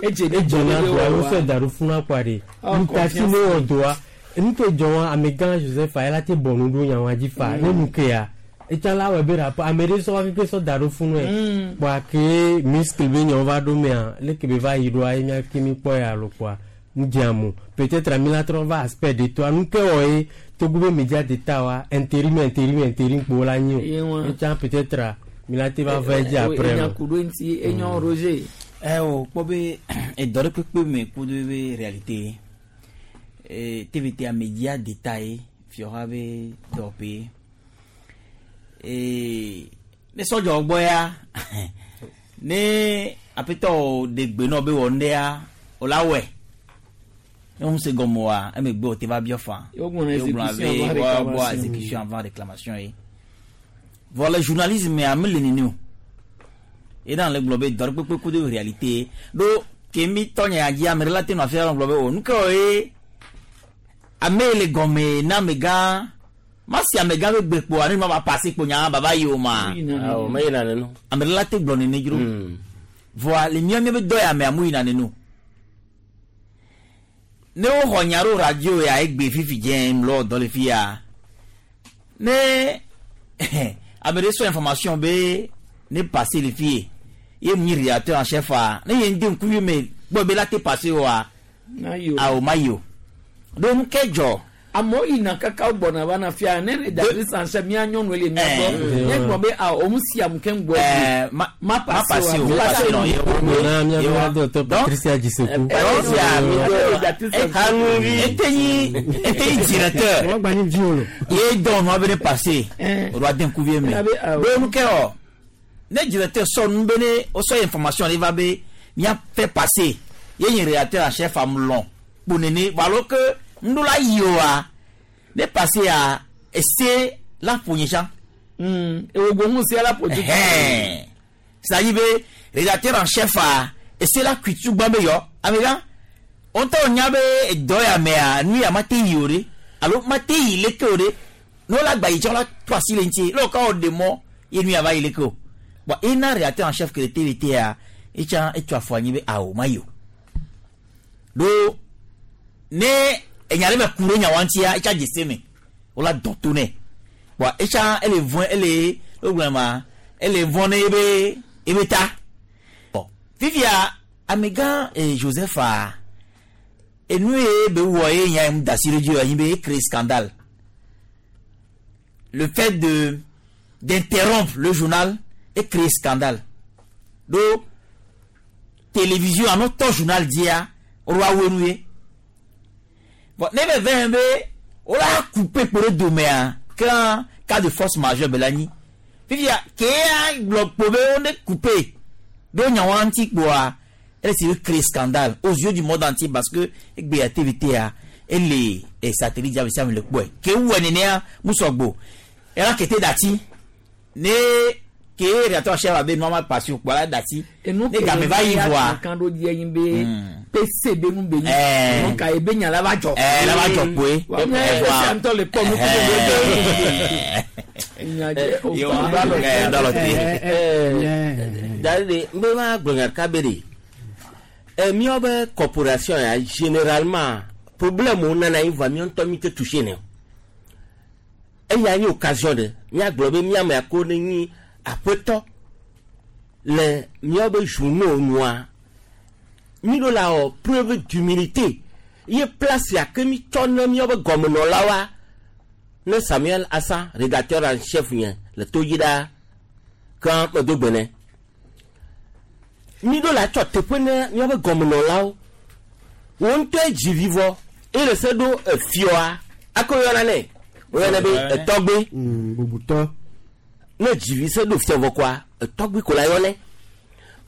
Edze ne edze na be doa wɔ wo wa. sɔ da ɖo funa kpoa ɖe Ah, nutasi ne confiance. wɔ doa nu ke dzɔ wa amegã Joseph a ela te bɔ nu ɖo nyawa dzi fa ne nu ke ya etsa la wɔ be rapport ame ɖe sɔ wa keke sɔ da ɖo funu yɛ kpoa ke muscle be nyawo va ɖo mea leke be va yi ɖoa ye mía ke mi kpɔ ya alo kpoa nu dze amewo peut-être ami la trɔ va aspect de toa nu ke wɔ ye Togo be média d'état wa intérim intérim intérim kpo la nyi Ye o wa. etsa peut-être mi la te va va edzi après Enya o. ku ɖo ŋuti enyɔ Roger. Ɛ o kpɔ be edɔ ɖe kpekpe me ku ɖo be réalité TVT a média d'état ye fiɔha be dɔwɔƒe ne sɔdzɔ gbɔ ya ne aƒetɔ ɖe gbe nɔ be wɔ ŋɖea o la wɔe ne wo se gɔme oa emegbe o te va biɔ fa Ye wogblɔna Ye wogblɔna exécution be avant woabɔ réclamation. exécution avant réclamation ye vɔ le journalisme mea mele nene o ye na le gblɔ be dɔ ɖe kpekpe ku ɖe réalité ɖo ke mi tɔ nye ya dzi ame ɖe la te nɔ afi la gblɔ be o nu ke wɔ ye ame yi le gɔme na amegã ma si amegã be gbe kpoa ne ma va passé kpo nya baba yi o ma Awɔ, me yina nenu. ame ɖe la te gblɔ nene dzro vɔa le mía míabe dɔ ya mea mu yina nene o ne woxɔ nya ɖo radio ya egbe fifi dze mlɔ dɔ le fi ya ne ame ɖe sɔ information be ne passé le fi ye ye mu nyi rédacteur en chef a ne ye ŋdi ŋkuvi me gbɔ be la te passé oa Na yi o. awo ma yi o ɖo nu ke dzɔ Amewo yina kaka wo gbɔna va na fia ne rédactrice en chef mía nyɔnu le mía gbɔ Eh. nye gblɔ be ah o mu si amu ke ŋgbɔ Eh, ma ma passé o, ma passé non, ye wo- Na mía ye be wa- docteur Patricia Djisekou. Etenyi etenyi directeur ye dɔn nua be ne passé o do ade ŋkuvi me ɖo nu ke wɔ ne directeur sɔ nu be ne o sɔ information ɖe va be mía fait passer ye nye rédacteur en chef am lɔn kpo nene vɔ alo ke ŋɖo la yi oa ne passé ya ese la ƒo nye tsã. ewogo ŋu se la ƒo tutu. C'est-à-dire be rédacteur en chef a ese la kui tugba be yɔ amegã wo ŋutɔ nya be edɔ ya mea nu ya ma te yi o ɖe alo ma te yi leke o ɖe ne wo la gba yi tsã wo la to asi le ŋuti ne wo ka wo ɖe mɔ ye nu ya va yi leke o bon ena rédacteur en chef ke le TVT ya etsã etso afɔ anyi be awo ma yi o ɖo ne enya ɖe me ku ɖe nyawoa ŋutia etsa dze se me wo la dɔn to nɛ bon etsa ele vɔn ele wo gblɔ ma ele vɔn ne ebe ebe ta bon fifia amegã Joseph a enu ye be wɔ ye nya mu da si ɖe dzi o anyi be e créé scandale le fait de d'interrompre le journal e créé scandale ɖo télévision alo tɔ journal dzia woɖo awoe nu ye bon ne be vɛ be wola couper kpo ɖe domea ke cas de force majeure be la nyi fifia kea gblɔ kpo be wo ne couper. Ɖo nyawoa ŋuti kpoa, ele si be créer scandale aux yeux du monde entier parce que egbea TVT-a ele eh, satellite dzi ame sia ame le kpɔe. Ke wɔe nenea musɔgbo. Ela kete dati ne ke rédacteur en chef abe nua ma passer o kpoa la dati. Enu Ne game va yi vɔa. kan ɖo dzi enyi be pese be nu be nyi. Eh. Donc ka ebe nya la va dzɔ. Eh, la va dzɔ kpoe. Wa nye Eh, vɔa. ese ŋutɔ le kpɔ nu kudo be. Nya dze o Yo, ba lɔ eh, te. dɔ lɔ te. Dari de n bɛ ma gblɔ nya ɖeka be de ɛ míawo be corporation ya généralement problème wo nana yi vɔa míawo ŋutɔ mi te touché ne o eya nye occasion ɖe míagblɔ be míame ako ne nyi aƒetɔ le míawo be journaux nua mi ɖo la wɔ preuve d'humilité ye place ya ke mi tsɔ ne míawo be gɔmenɔlawoa ne Samuel Assa rédacteur en chef nye le to dzi ɖaa ke medo gbe nɛ mi ɖo la tsɔ teƒe ne míaƒe gɔmenɔlawo wo ŋutɔe dzi vi vɔ eye le se ɖo efiɔa ako yɔna nɛ woyɔna be etɔgbe bubutɔ ne dzi vi se ɖo fiɔ vɔ koa etɔgbe ko la yɔnɛ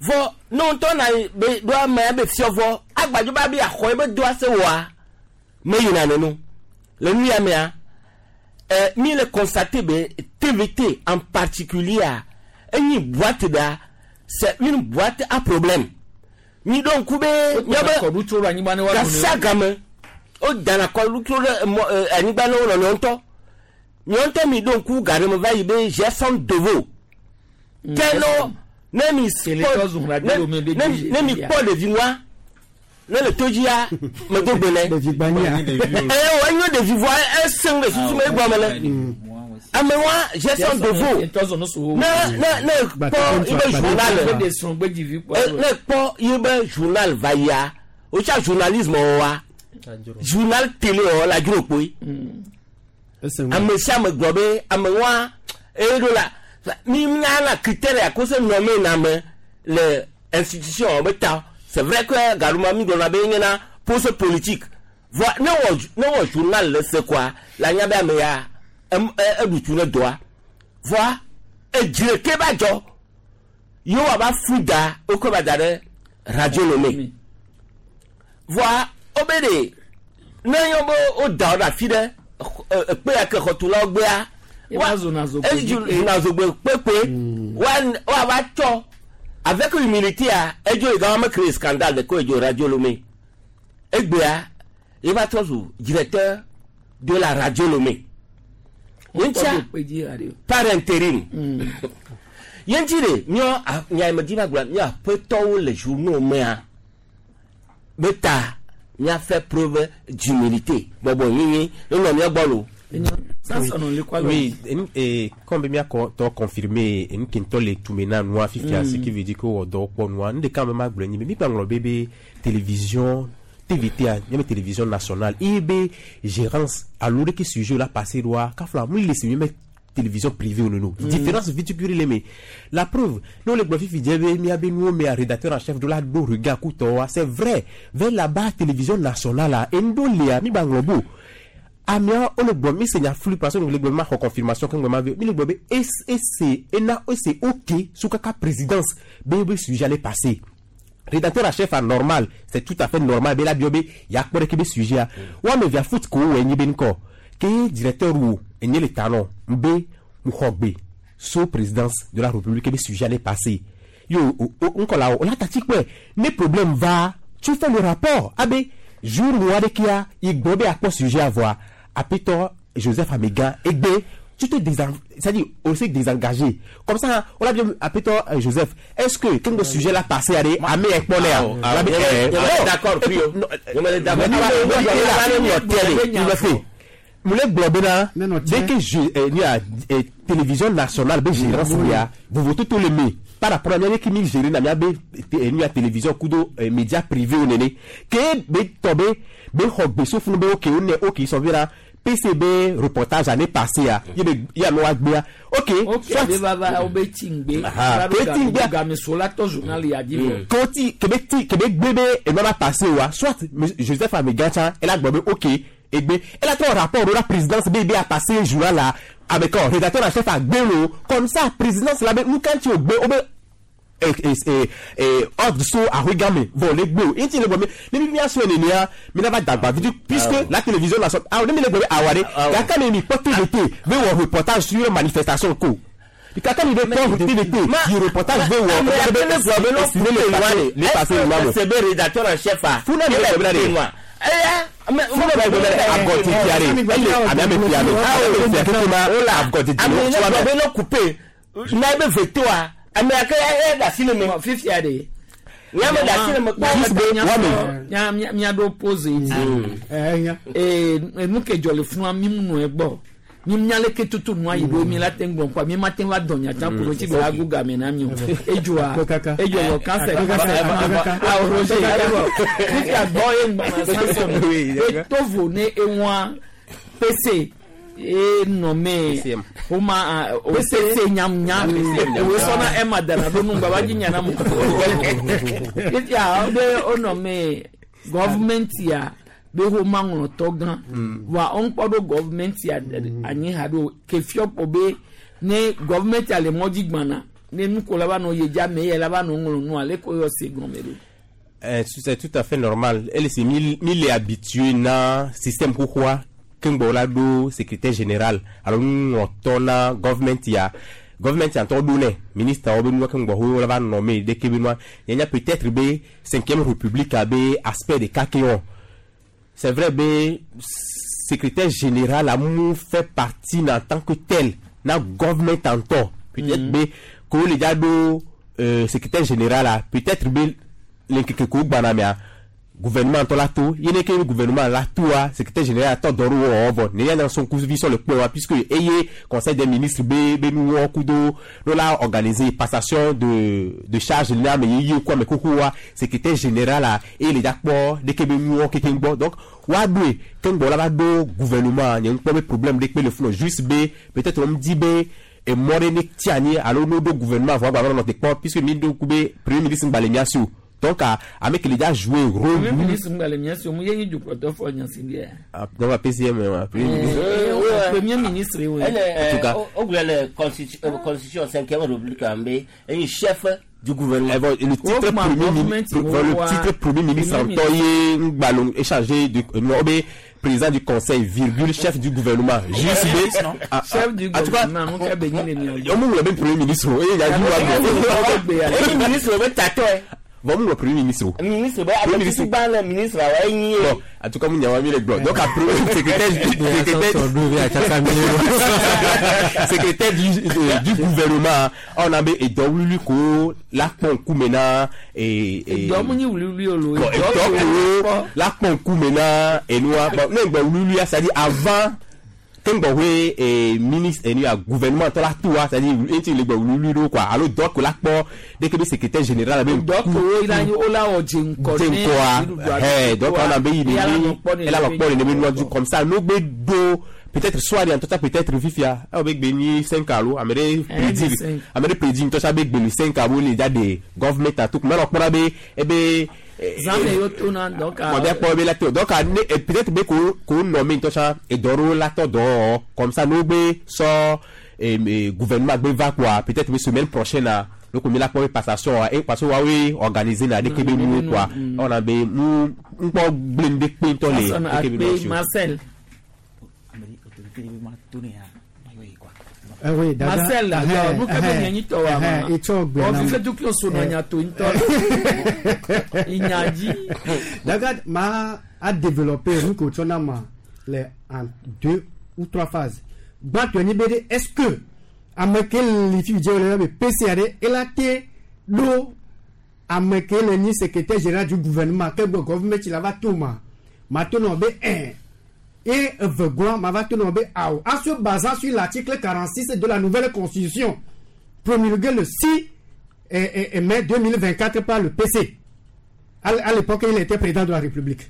vɔ ne wo ŋutɔ na be ɖo amea be fiɔ vɔ agbadzo ba be axɔ ebe doa se wɔa meyina nenu le nu ya mea ɛ mi le constater be TVT en particulier a enyi boîte ɖa c'est une boîte à problème mi ɖo ŋku be míabe Kɔɖu tso ɖo anyigba ne woaɖu ne. gasiagame wo dana kɔɖu tso ɖe mɔ ɛ anyigba ne wo nɔnɔewo ŋutɔ miawo ŋutɔ mi ɖo ŋku ga ɖe me va yi be Gerson Devo ke no ne mi Télé zu radio me be ne dzi- ne mi kpɔ ɖevi ŋua ne le to dzia medo gbe nɛ ɖevi gbanya ɛ wo enyo ɖevi vɔa esẽŋ le susu me egblɔ me le ame wa Gerson Devo ne ne ne kpɔ ibe journal ne kpɔ ibe journal va yia wotsa journalisme wa journal télé wɔ la dzro kpoe ame sia ame gblɔ be ame wa eye ɖo la mi nya la critère ya ko se nɔme na ame le institution be ta c'est vrai que gaɖuma mi gblɔna be nye na poste politique vɔ ne wɔ ne wɔ journal le se koa la nya be ame ya em eɖu tu ne dɔa vɔa edzre ke ba dzɔ yewoa ba fu da wokɔ ba da ɖe radio lome vɔa wobe ɖe ne yɔ be woda wo ɖe afi ɖe ekpe ya ke xɔtulawo gbea Eva zona zogbe ezu zona zogbe kpekpe woava tsɔ avec humilité a edzo yi gama me créer scandale de ko edzo radio lome egbea ye va trɔ zu directeur de la radio lome ye ŋutia par intérim ye ŋuti ɖe míɔ nya me dzi va gblɔ míɔ aƒetɔwo le journaux mea be ta mía fait preuve d'humilité bɔbɔ nyinyi enɔ mía gbɔ lo. Oui, et comme bien t'as confirmé, une qui le tout maintenant noir fifia, ce qui veut dire que on dort pas noir. Nous quand même agblɔ nyi, mais mi kpa bébé télévision TVT, a même télévision nationale, et be gérance à l'heure que sujet là passé droit, kafla, moi laisse même télévision privée ou non. Différence vite les mais la preuve, nous les profils fidèles, mi abe nous mais rédacteur en chef de la do regard kutoa, c'est vrai, vers là-bas télévision nationale là, endo léa mi banglobo. Amia o le gblɔ mi se nya flui parce que le gblɔ ma xɔ confirmation ke ŋgɔ ma vi mi le gblɔ be ese ena ese ok sous kaka présidence be be sujet allait passer rédacteur en chef anormal c'est tout à fait normal be la bio be ya kpɔ ɖe ke be sujet a wa me via foot ko wɔ enyi be ŋkɔ ke directeur wo enye le talon be mu xɔ gbe sous présidence de la république be sujet allait passer yo ŋkɔ la o la tati kpɔe ne problème va tu fais le rapport abe jour wo aɖe kia igbɔ be akpɔ sujet avoa apetɔ Joseph Amega egbe tu te désen c'est-à-dire on s'est désengagé comme ça on l'a bien apetɔ Joseph est-ce que quand le sujet là passé allez amé ekpɔ nɛ Ah, d'accord mu le gblɔ bena dès que je ni a télévision nationale be gérance ya vovototo le me par rapport à mía ke mi géré na mía be nu ya télévision kudo média privé wo nene ke be tɔ be be xɔ gbe sofunu be ok wo ne ok sɔ vi la PCB reportage année passée ya ye be ye ame wa gbea ok ok be va va wo be ti ŋgbe Aha, ke ti ŋgbea game so la tɔ journal ya di vɔ ke ti ke be ti ke be gbe be enua va passé wa soit Joseph Amega tsã ela gblɔ be ok egbe ela trɔ rapport ɖo la présidence be be a passé journal la avec rédacteur en chef agbelo comme ça présidence la be nu kan ti o gbe o be Ordre so ahoe me vɔ le gbe o ŋuti le gbɔ me ne mi mia sɔe nenea mi na va dagba vi puisque la télévision la sɔ awɔ ne mi le gbɔ be awa ɖe gake ne mi kpɔ TVT be wɔ reportage sur manifestation ko kaka mi be kpɔ TVT yi reportage be wɔ be be le passé le ma mo c'est be rédacteur en chef a funa mi le gbɔ be eya funa mi le gbɔ be agɔ ti fia de ele ame ame fia de ame fia keke ma agɔ ti ti ame ne gbɔ be no couper n'a be veto a ame ake e da si le me fifia de nya me da si le me kpɔ nya mia ɖo pose yi ee nu ke dzɔ le fún mi mu nɔ egbɔ mi mia le ke tutu nua yi ɖo mi la te ŋgɔ kɔ mi ma te va dɔn nyatsa ko ɖo tsi be agu game na mi o edzɔa edzɔ wɔ kansɛ awo roger fifia gbɔ ye ŋgbana sanson etovo ne eŋua pese e nɔmɛ o ma o pese nyamnya o sɔnna e ma dana do nu baba dzi nyana mu fifia o de o nɔmɛ gɔvumɛnti ya be wo ma ŋlɔtɔ gã wa wo ŋkpɔ ɖo gɔvumɛnti anyi ha ɖo kefiɔ kpɔ be ne gɔvumɛnti le mɔdzi gbana ne nukola va nɔ yedza me yɛ la va nɔ ŋlɔ nu ale ko yɔ se gɔme ɖo. C'est tout à fait normal. Elle s'est mis habituée na système xoxoa keŋgbɔ la ɖo secrétaire général alo nuŋlɔtɔ na gɔvumɛnti ya gɔvumɛnti ya ŋutɔ ɖo nɛ ministre wo be nua keŋgbɔ wo la va nɔ me ɖeke be nua yenya peut-être be cinquième république be aspect ɖeka ke wɔn. C'est vrai be secrétaire général a mu fait partie en tant que tel na gɔvumɛnti ŋutɔ peut-être be ko le dza ɖo secrétaire général a peut-être be le ŋkeke ko gbana mea gouvernement ŋutɔ la to ye ne ke gouvernement la toa secrétaire général tɔ dɔ ɖo wɔwɔ vɔ ne ya son kuvi sɔ le kpɔe wa puisque eye conseil des ministres be be nu wɔ kudo no la organiser passation de charge na ame yeye ku ame xoxo wa secrétaire général a eye le dza kpɔ ɖeke be nu wɔ kekeŋ gbɔ donc wa ɖoe keŋgbɔ la va ɖo gouvernement nye ŋkpɔ be problème ɖe kpe le funu juste be peut-être wɔm di be emɔ ɖe ne ti anyi alo no ɖo gouvernement vɔ agba va nɔ te kpɔ puisque mi ɖo ku be premier ministre ŋgba le mia si o. Donc, ame qui a joué rôle. Premier ministre ŋgba le mia si o mu ye nyi dukplɔtɔ fɔ nya si bia. Dans la PCM, premier ministre. Premier ministre oui. En tout cas, o gblɔ le constitution cinquième république an be un chef du gouvernement. Le titre premier ministre, le titre premier ministre ŋutɔ ye ŋgba échangé de be président du conseil virgule chef du gouvernement. Juste be chef du gouvernement nu ka be nyi le mia. O mu ŋlɔ be premier ministre o eye ya ju wa gbɔ. Ministre be tatɔ ye. Bon, nous, le premier ministre. Ministre, ben, ministre, le ministre, ouais, bon, en tout cas, nous avons mis les blocs. Donc, après, secrétaire du gouvernement, on avait, et donc, la ponkou maintenant, et la ponkou maintenant, et nous, bon, non, c'est-à-dire avant, Kengbowe et ministre et gouvernement tout la tout c'est-à-dire il le quoi alors donc la po dès que le secrétaire général avait donc il a ola o jenko eh donc on a il elle a le du comme ça nous do peut-être soir en tout ça peut-être vifia avec béni 5 alo amere prédit amere prédit tout ça avec béni 5 alo les gars de government à tout mais on prend be eh be Zame yo tona donc a donc peut-être be ko ko nommé tout ça et doro la to do comme ça nous be so gouvernement be va quoi peut-être semaine prochaine là donc on la passation et parce que oui organiser na de kebe nous quoi on a be nous on pas blender pinto les Marcel Oui, Marcel, alors, nous avons un to wa. On fait tout qui son nya to nto. Inyadi. D'accord, ma a développé nous ko ma les en deux ou trois phases. Ba toni bede est-ce que ameke li fi je le PCAD et la té do ameke le ni secrétaire général du gouvernement que gouvernement il va tout ma. Ma to no be 1 et Vegouan m'a tombé à en se basant sur l'article 46 de la nouvelle constitution promulguée le 6 mai 2024 par le PC. À l'époque, il était président de la République.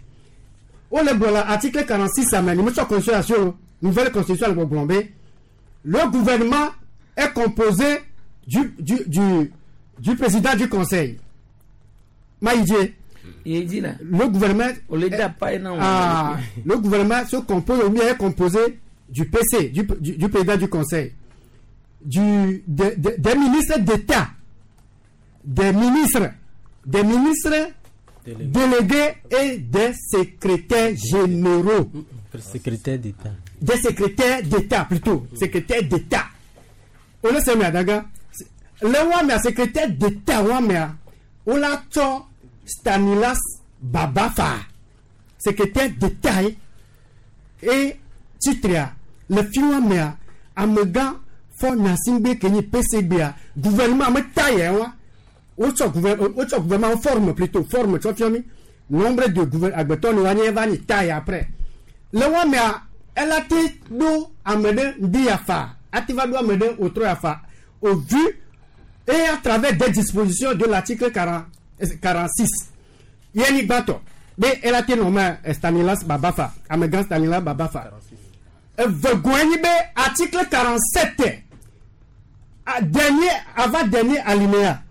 On le voit l'article 46 à la nouvelle constitution le gouvernement est composé du président du conseil. Maïdié. Il dit là. Le gouvernement. Le gouvernement se compose, ou bien est composé du PC, du président du conseil, des ministres d'État des ministres, des ministres délégués et des secrétaires généraux. Secrétaire d'État. Des secrétaires d'État plutôt, secrétaires d'État. On le sait mais daga. Le wa mais secrétaire d'État wa mais on l'a tsɔ Stanislas Babafa secrétaire d'État et titria le fi wa mea amegã Faure Gnassingbé ke nyi PCB-a gouvernement me ta yɛ wa wotsɔ wotsɔ gouvernement forme plutôt forme tsɔ fiɔ mi nombre de gouver agbetɔ ni wa nye va nyi ta yɛ après le wa mea ela te ɖo ame ɖe ŋdi ya fa ate va ɖo ame ɖe wòtrɔ ya fa au vu et à travers des dispositions de l'article 40 46 ye ni gbãtɔ be ela te nɔ me Stanislas Babafa amegã Stanislas Babafa evegoe nyi be article 47 dernier avant dernier alinéa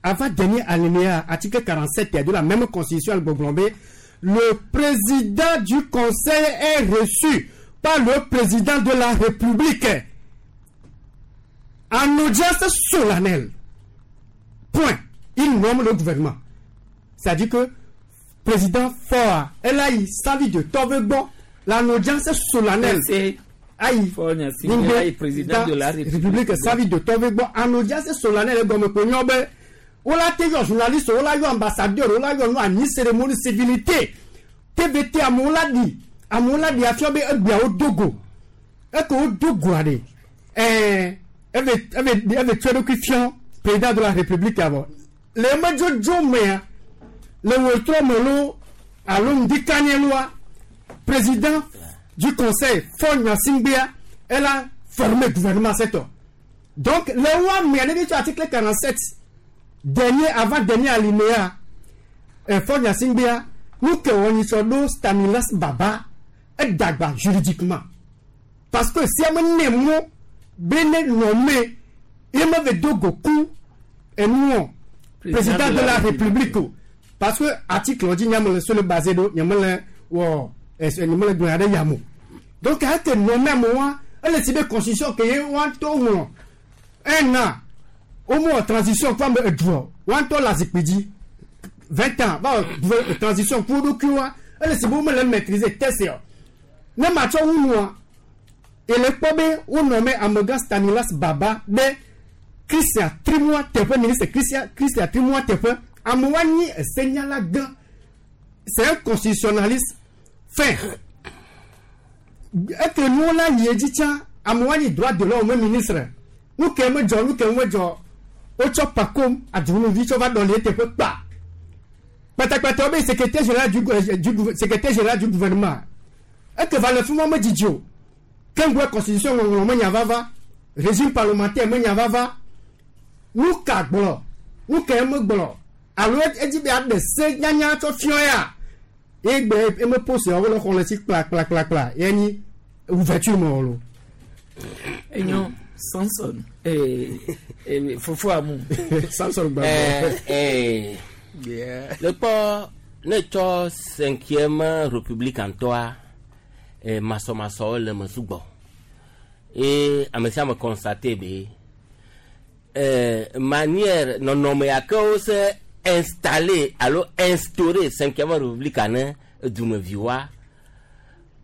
avant dernier alinéa article 47 de la même constitution gbɔgblɔ be le président du conseil est reçu par le président de la République en audience solennelle. Point. Il nomme le gouvernement. C'est-à-dire que président Faure, elle a eu sa vie de Tovegbo, la audience solennelle. Aïe, président de la République, sa vie de Tovegbo, en audience solennelle, comme on l'a été journaliste, on l'a eu ambassadeur, on l'a eu en cérémonie civilité. TVT, amewo la ɖi amewo la ɖi afia be egbea wodo go eke wodo goa ɖe ɛɛ eve eve eve tsɔ eɖokui fiɔ président de la république avɔ le emedzodzo mea le wòtrɔ me lo alo ŋdikanye loa président du conseil Faure Gnassingbéa elle a formé gouvernement setɔ donc le wa mea ne bi tsɔ article 47 dernier avant dernier alinéa ɛ Faure Gnassingbéa nu ke wɔ nyitsɔ ɖo Stanislas Baba edagba juridiquement parce que si ame ne mɔ be ne nɔme ye me ve do go ku enuɔ président de la république o parce que article dzi nyame le so le basé ɖo nyame le wɔ ɛsɛ nyame le gblɔ aɖe yamo donc eke nɔme amewoa ele si be constitution ke ye woa ŋutɔ ŋlɔ ena womewɔ transition kɔ ame eduɔ woa ŋutɔ le azikpui dzi 20 ans va wɔ transition ku wo ɖokuiwoa ele si be womele maîtriser test o ne matsɔ wu nua ele kpɔ be wonɔ me amegã Stanislas Baba ɖe Christian Trimua teƒe ministre Christian Christian Trimua teƒe amewoa nyi esenyala gã c'est un constitutionnaliste fin eke nuwo la yi edzi tsã amewoa nyi droit de l'homme ministre nu ke medzɔ nu ke medzɔ wotsɔ Pacôme Adunuvi tsɔ va ɖɔli eteƒe kpa kpatakpata wo be secrétaire général du secrétaire général du gouvernement eke va le fi ma medzidzi o keŋgbe constitution ŋɔŋlɔ menya vava régime parlementaire menya vava nu ka gblɔ nu ke megblɔ alo edzi be aɖe se nyanya tsɔ fiɔ ya ye gbe eme post yawo le xɔ le si kpla kpla kpla kpla ye nyi ouverture me wɔ lo. Enyo Samson fofo amu. Samson gbàgbọ́. Le kpɔ ne tsɔ cinquième république ŋutɔa masɔmasɔwo le me sugbɔ eye ame sia ame constate be manière nɔnɔme ya ke wo se installé alo instauré cinquième république ne dumeviwoa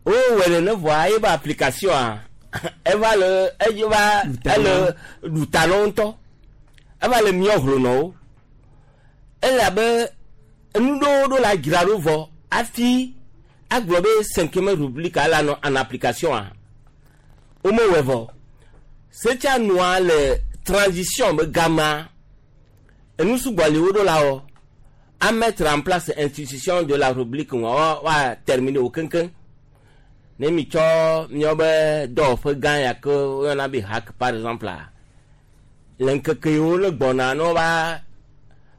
wowɔe nene vɔa ye be application a eva le edzi va ele ɖuta na wo ŋutɔ eva le miɔ hlonɔwo ele abe enu ɖewo ɖo la dzra ɖo vɔ hafi agblɔ be cinquième république la nɔ en application a womewɔe vɔ setsa nua le transition be gama enu sugbɔ li wo ɖo la wɔ a mettre en place institution de la république wa wa terminer wo keŋkeŋ ne mi tsɔ miawo be dɔwɔƒe gã ya ke woyɔna be HAC par exemple a le ŋkeke yiwo le gbɔna ne wova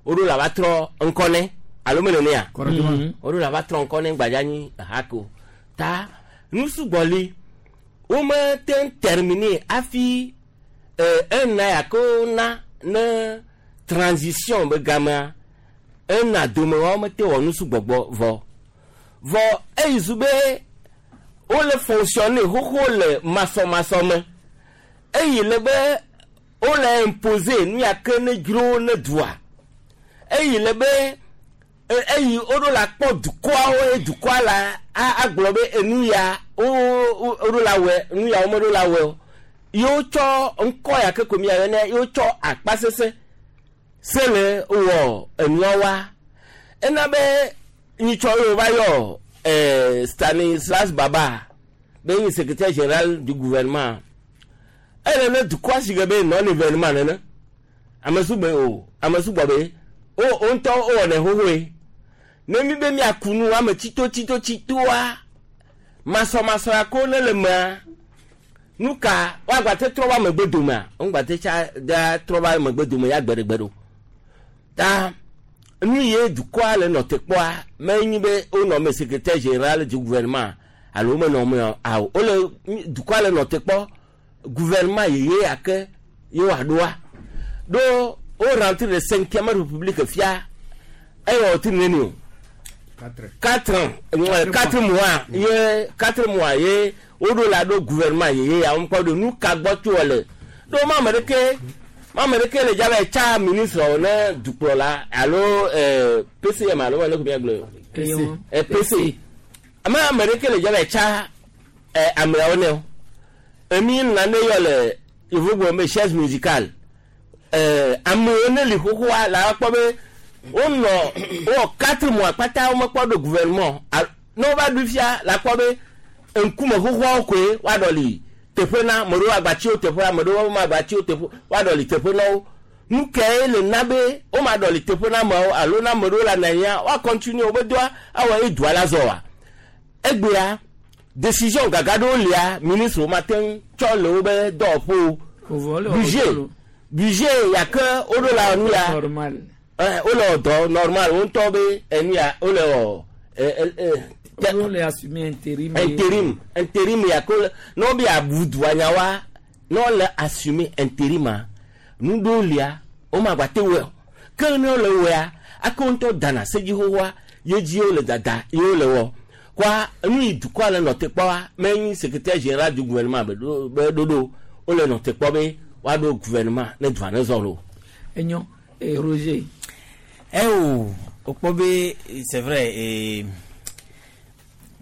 woɖo la va trɔ ŋkɔ nɛ alo me nenea woɖo la va trɔ ŋkɔ nɛ gbadza nyi HAC o ta nu sugbɔ li wome te ŋu terminer hafi ena ya ke wona ne transition be gamea ena dome wa womete wɔ nu sugbɔgbɔ vɔ vɔ eyi zu be wole fonctionner xoxo le masɔmasɔ me eyi le be Wole imposer nu ya ke ne dzro ne dua. Eyi le be eyi woɖo la kpɔ dukɔawo ye dukɔa la agblɔ be enu ya woɖo la wɔe, nu ya womeɖo la wɔe o. Yewo tsɔ ŋkɔ ya ke ko mia yɔnɛ, yewo tsɔ akpa sese se le wɔ enua wa. Ena be nyitsɔ yewo va yɔ Stanislas Baba be nyi secrétaire général du gouvernement. Ele ne dukɔa si ge be non événement nene. Ame sugbɔ o, ame sugbɔ be o ŋutɔ wowɔnɛ xoxoe. Ne mi be miaku nu ame tsito tsito tsitoa, masɔmasɔ ya ko ne le mea, nu ka woagba te trɔ va megbe domea? Wogba te tsa da trɔ va megbe dome ya gbeɖegbe ɖo. Ta nu ye dukɔa le nɔ te kpɔa, menyi be wonɔ me secrétaire général du gouvernement alo menɔ me awo. Wole dukɔa le nɔ te kpɔ gouvernement yeye ya ke ye woaɖoa. Ɖo wo rentre le 5e république fia, eye wòti neni o. 4 ans, 4 mois, ye 4 mois ye woɖo la ɖo gouvernement yeye ya womekpɔ ɖo nu ka gbɔ tso le. Ɖo ma ame ɖeke le dza be tsa ministre wo ne dukplɔla alo PCM alo ne ko miagblɔe o. PC. Ame ɖeke le dza be tsa ameawo ne o. Emi nane yɔ le yevugbe me chaise musicale. Amewo ne li xoxoa la kpɔ be wonɔ wowɔ 4 mois kpata womekpɔ ɖo gouvernement. Ne wova ɖo fia la kpɔ be ŋkume xoxoawo koe woaɖɔ li teƒe na ame ɖewo agbatsiwo teƒe, ame ɖewo magbatsiwo teƒe, woaɖɔ li teƒe na wo. Nu kae le na be womaɖɔ li teƒe na ameawo alo na ame ɖewo le anɔ anyia, woa continue wobe dɔa awɔ ye dua la zɔ wa. Egbea décision gaga ɖewo lia ministre wo mate ŋu tsɔ le wobe dɔwɔƒewo. Budget ya ke woɖo la nu ya. Wole wɔ dɔ normal, wo ŋutɔ be enu ya wole wɔ. Wole assumer intérim. Intérim ya ke ne wobe abu dua nya wa, ne wole assumer intérim a, nu ɖewo lia, womagba te wɔe o. Ke ne wole wɔea, ake wo ŋutɔ dana sedzi xoxoa, ye dzi wole dada, ye wole wɔ. Kɔa, nu yi dukɔa le nɔ te kpɔa, menyi secrétaire général du gouvernement be ɖoɖo, wole nɔ te kpɔ be woaɖo gouvernement ne dua ne zɔ lo. Enyo, Roger. O kpɔ be c'est vrai,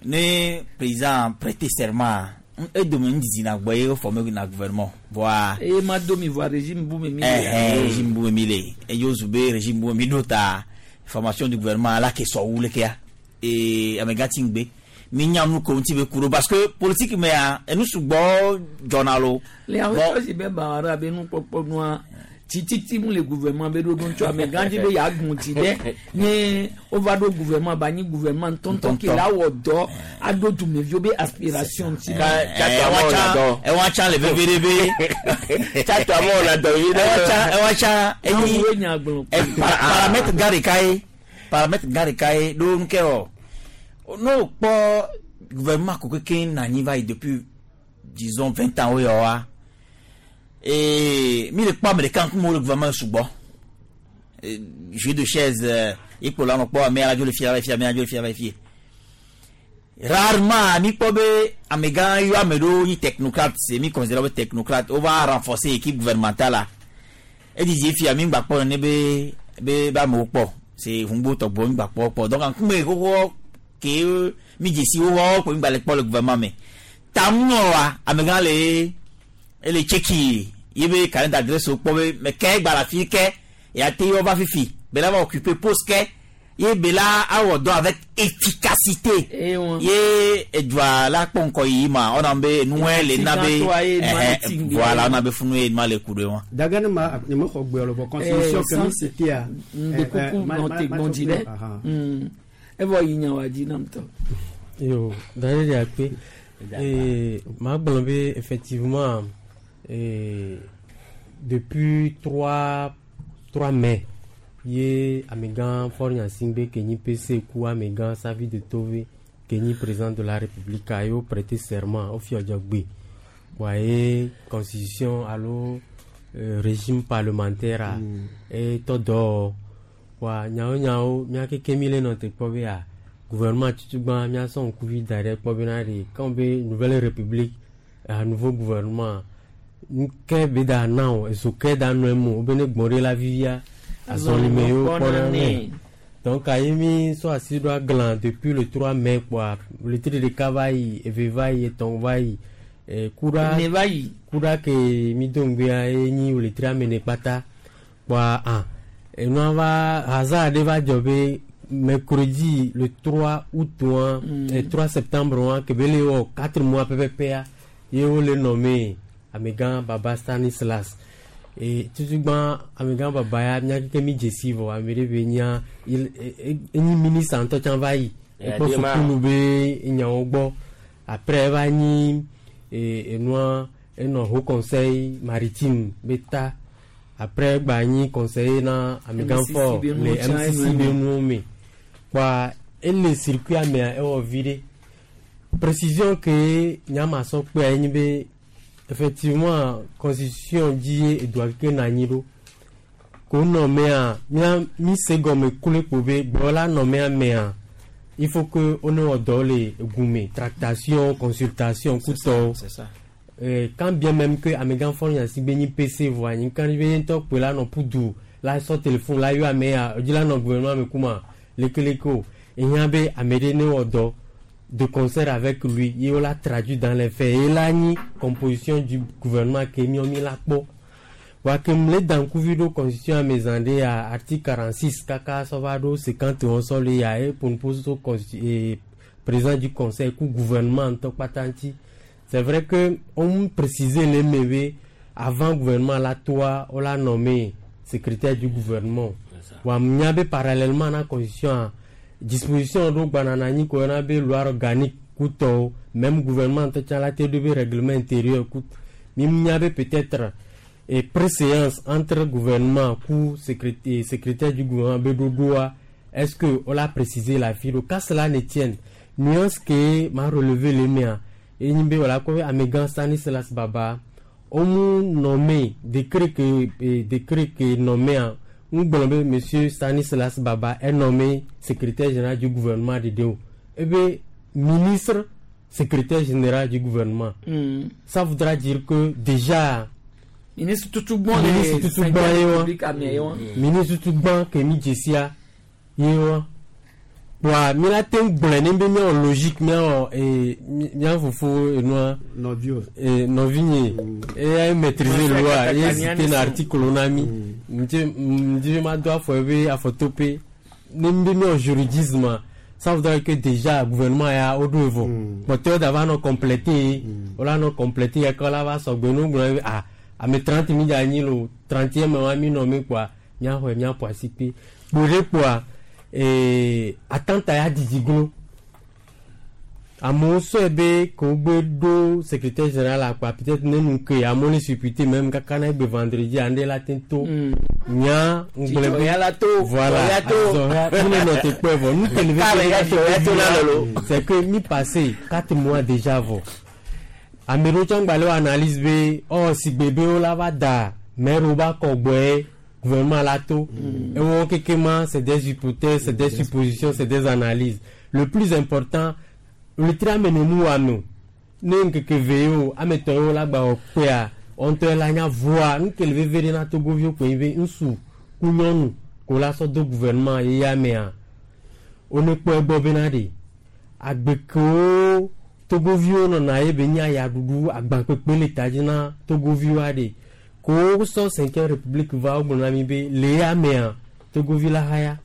ne président prêter serment, edome ŋdidi na gbɔ ye wofɔ na gouvernement. Voa. Eye ma do mi voa régime bu me mi le. Régime bu me mi le. Eye wozu be régime bu me mi ɖo ta formation du gouvernement ala ke sɔ wu lekea. Et amegã ti ŋgbe. Mi nya nu ko ŋuti be ku ɖo parce que politique mea enu sugbɔ dzɔna lo. Le awo si be ba be nukpɔkpɔ nua tititi mu le gouvernement be ɖoɖo ŋutsu amegã dzi be yeagbɔn tsi ɖe ne wova ɖo gouvernement ba nyi gouvernement ŋutɔŋutɔ ke la wɔ dɔ aɖo dumeviwo be aspiration ŋuti. Ewa tsã le veve ɖe be. Tsatɔ amewo na dɔ yi ɖe. Ewa tsã enyi paramètre gã ɖeka ye paramètre gã ɖeka ye ɖo nu ke wɔ ne wokpɔ gouvernement ko keke na anyi va yi depuis disons 20 ans wo yɔ wa. Et mi le kpɔ ame ɖeka ŋkume wo le gouvernement sugbɔ. Jeu de chaise ikpo la nɔ kpɔ ame ala dzo le fia va fia ame ala dzo le fia va fie. Rarement mi kpɔ be amegã yɔ ame ɖewo nyi technocrate, c'est mi considère be technocrate, on va renforcer équipe gouvernementale la. Edidi fia mi gba kpɔ ne be be be amewo kpɔ. C'est ŋugbo tɔgbɔ mi gba kpɔ kpɔ. Donc ŋkume xoxo ke mi dzesi xoxo ko mi gba le kpɔ le gouvernement me. Tamunɔ wa amegã le ele tseki ye be carnet d'adresse kpɔ be me ke gba la fi ke ya te yɔ va fifi be la va occuper poste ke ye be la awɔ dɔ avec efficacité ye edua la kpɔ ŋkɔ yi ma ɔna be nuwɛ le na be voilà ɔna be funu ye ma le ku ɖe wa. Daga ne ma ne me xɔ gbe lɔ vɔ constitution ke mi cité a. Nde kuku nɔ te gbɔn dzi ɖe. Evɔ yi nya wa dzi nam tɔ. Yo, d'ailleurs de akpe. Ma gblɔ be effectivement depuis 3 mai ye amegã Faure Gnassingbé ke nyi PC ku amegã Savi de Tove ke nyi président de la République a yo prêter serment au fiɔdzɔgbe wa ye constitution alo régime parlementaire a e tɔ dɔ wa nyawo nyawo mía keke mi le nɔ te kpɔ be a gouvernement tutugbã mía sɔ ŋkuvi da ɖe kpɔ bena ɖe quand be nouvelle république un nouveau gouvernement Nke be da na o ezo ke da nɔ emo wo be ne gbɔn ɖe la vivia azɔlime yewo kpɔna nɛ. Donc ayi mi sɔ asi ɖo aglan depuis le 3 mai kpoa wletri ɖeka va yi eve va yi etɔ̃ va yi eh, kuɖa Ene va yi. kuɖa ke mi do ŋgbea ye nyi wletri ame ene kpata kpoa ah enua va hasard ɖe va dzɔ be mercredi le 3 août wa 3 septembre wa ke be le wɔ 4 mois pɛpɛpɛa ye wole nɔme amegã Baba Stanislas e tutugbã amegã Baba ya mía keke mi dze si vɔ ame ɖe be nya enyi ministre ŋutɔ tsã va yi ekpɔ sukulu be nyawo gbɔ après eva nyi e, enua enɔ haut conseil maritime be ta après egba nyi conseiller na amegã MCC fɔ be nuwo le tsã MCC enu be eme. nuwo me kpoa ele circuit mea ewɔ vi ɖe précision ke nyama sɔ kpea ye nyi be effectivement constitution dzi ye edua keke nɔ anyi ɖo ko nɔ mea mía mi se gɔme kloe kpo be gblɔ la nɔ mea mea il faut que wo ne wɔ dɔ le egume tractation consultation kutɔwo c'est ça. Quand bien même que amegã fɔ nya si be nyi PC vɔa nyi kan be ye ŋutɔ kpoe la nɔ pudu la sɔ téléphone la yɔ ame ya edzi la nɔ gouvernement me kuma lekeleke o ehiã be ame ɖe ne wɔ dɔ de concert avec lui ye wola traduit dans les faits ye la nyi composition du gouvernement ke miɔ mi la kpɔ wa ke mle da ŋkuvi ɖo constitution ame zã ɖe ya article 46 kaka sɔ va ɖo 51 sɔ le ya ye ƒonuƒo so président du conseil ku gouvernement ŋutɔ kpata ŋuti. C'est vrai que on précisait le me be avant gouvernement la toa on l'a nommé secrétaire du gouvernement wa nya be parallèlement na constitution a disposition ɖo gbana na anyi ko yɔna be loi organique kutɔwo même gouvernement ŋutɔ tsã la te ɖo be règlement intérieur ku mi nya be peut-être et préséance entre gouvernement ku secrétaire, secrétaire du gouvernement be ɖoɖoa est-ce que on l'a précisé la fi ɖo qu'à cela ne tienne nuance ke ma relevé le mea enyi be wòle akɔ be amegã Stanislas Baba womu nommé décret ke décret ke nommé ŋgblɔ be monsieur Stanislas Baba est nommé secrétaire général du gouvernement de o ebe ministre secrétaire général du gouvernement. Ça voudra dire que déjà ministre tutugbɔn le ministre tutugbɔn ye wa République ame ye wa. Ministre tutugbɔn ke mi dzesia ye wa wa mi la te ŋu gblɔe ne be míawɔ logique míawɔ ee mía fofo enua nɔviwo ee nɔvinye eya maîtriser loi ye cité na article na mi ŋdzi ŋdzi be ma do afɔ ebe afɔtope ne mi be míawɔ juridisme ça voudrait que déjà gouvernement ya woɖo evɔ kpɔtɔewo da va nɔ compléter wola nɔ compléter ya ke wola va sɔgbe ne wogblɔ be ah ame 30 mi dza anyi lo 31 me wa mi nɔ mi kpoa míaxɔe míaƒo asi kpe kpo ɖe kpoa ee atanta ya didi glo amewo sɔe be ke wogbe ɖo secrétaire général akpa peut-être ne nu ke amewo le supputer même kaka na egbe vendredi ande la te to nya ŋgblẽ Dzidzɔ ya la to, voilà ya to. dzidzɔ ya mi le nɔ te kpɔe vɔ nu ke le Kare ya dzidzɔ ya to la lolo. c'est que mi passé 4 mois déjà vɔ ame ɖewo tsã gba le wɔ analyse be ɔ sigbe be wo la va da maire ba kɔ gbɔe gouvernement la to ewɔ keke ma c'est des hypothèses, c'est des suppositions, c'est des analyses. Le plus important wletri ame nenu wa me o ne ŋkeke ve ye o ame tɔ yewo la gba wɔ kpea wɔntɔ la nya voa nu ke le veve ɖe na togoviwo koe be ŋutsu ku nyɔnu ko la sɔ do gouvernement ye ya mea wone kpɔ egbɔ bena ɖe agbekewo togoviwo nɔna ye be nye ayaɖuɖu agbankpekpe le ta dzi na togoviwoa ɖe ko wosɔ cinquième république va wogblɔ na mi be le ya mea togovi la haya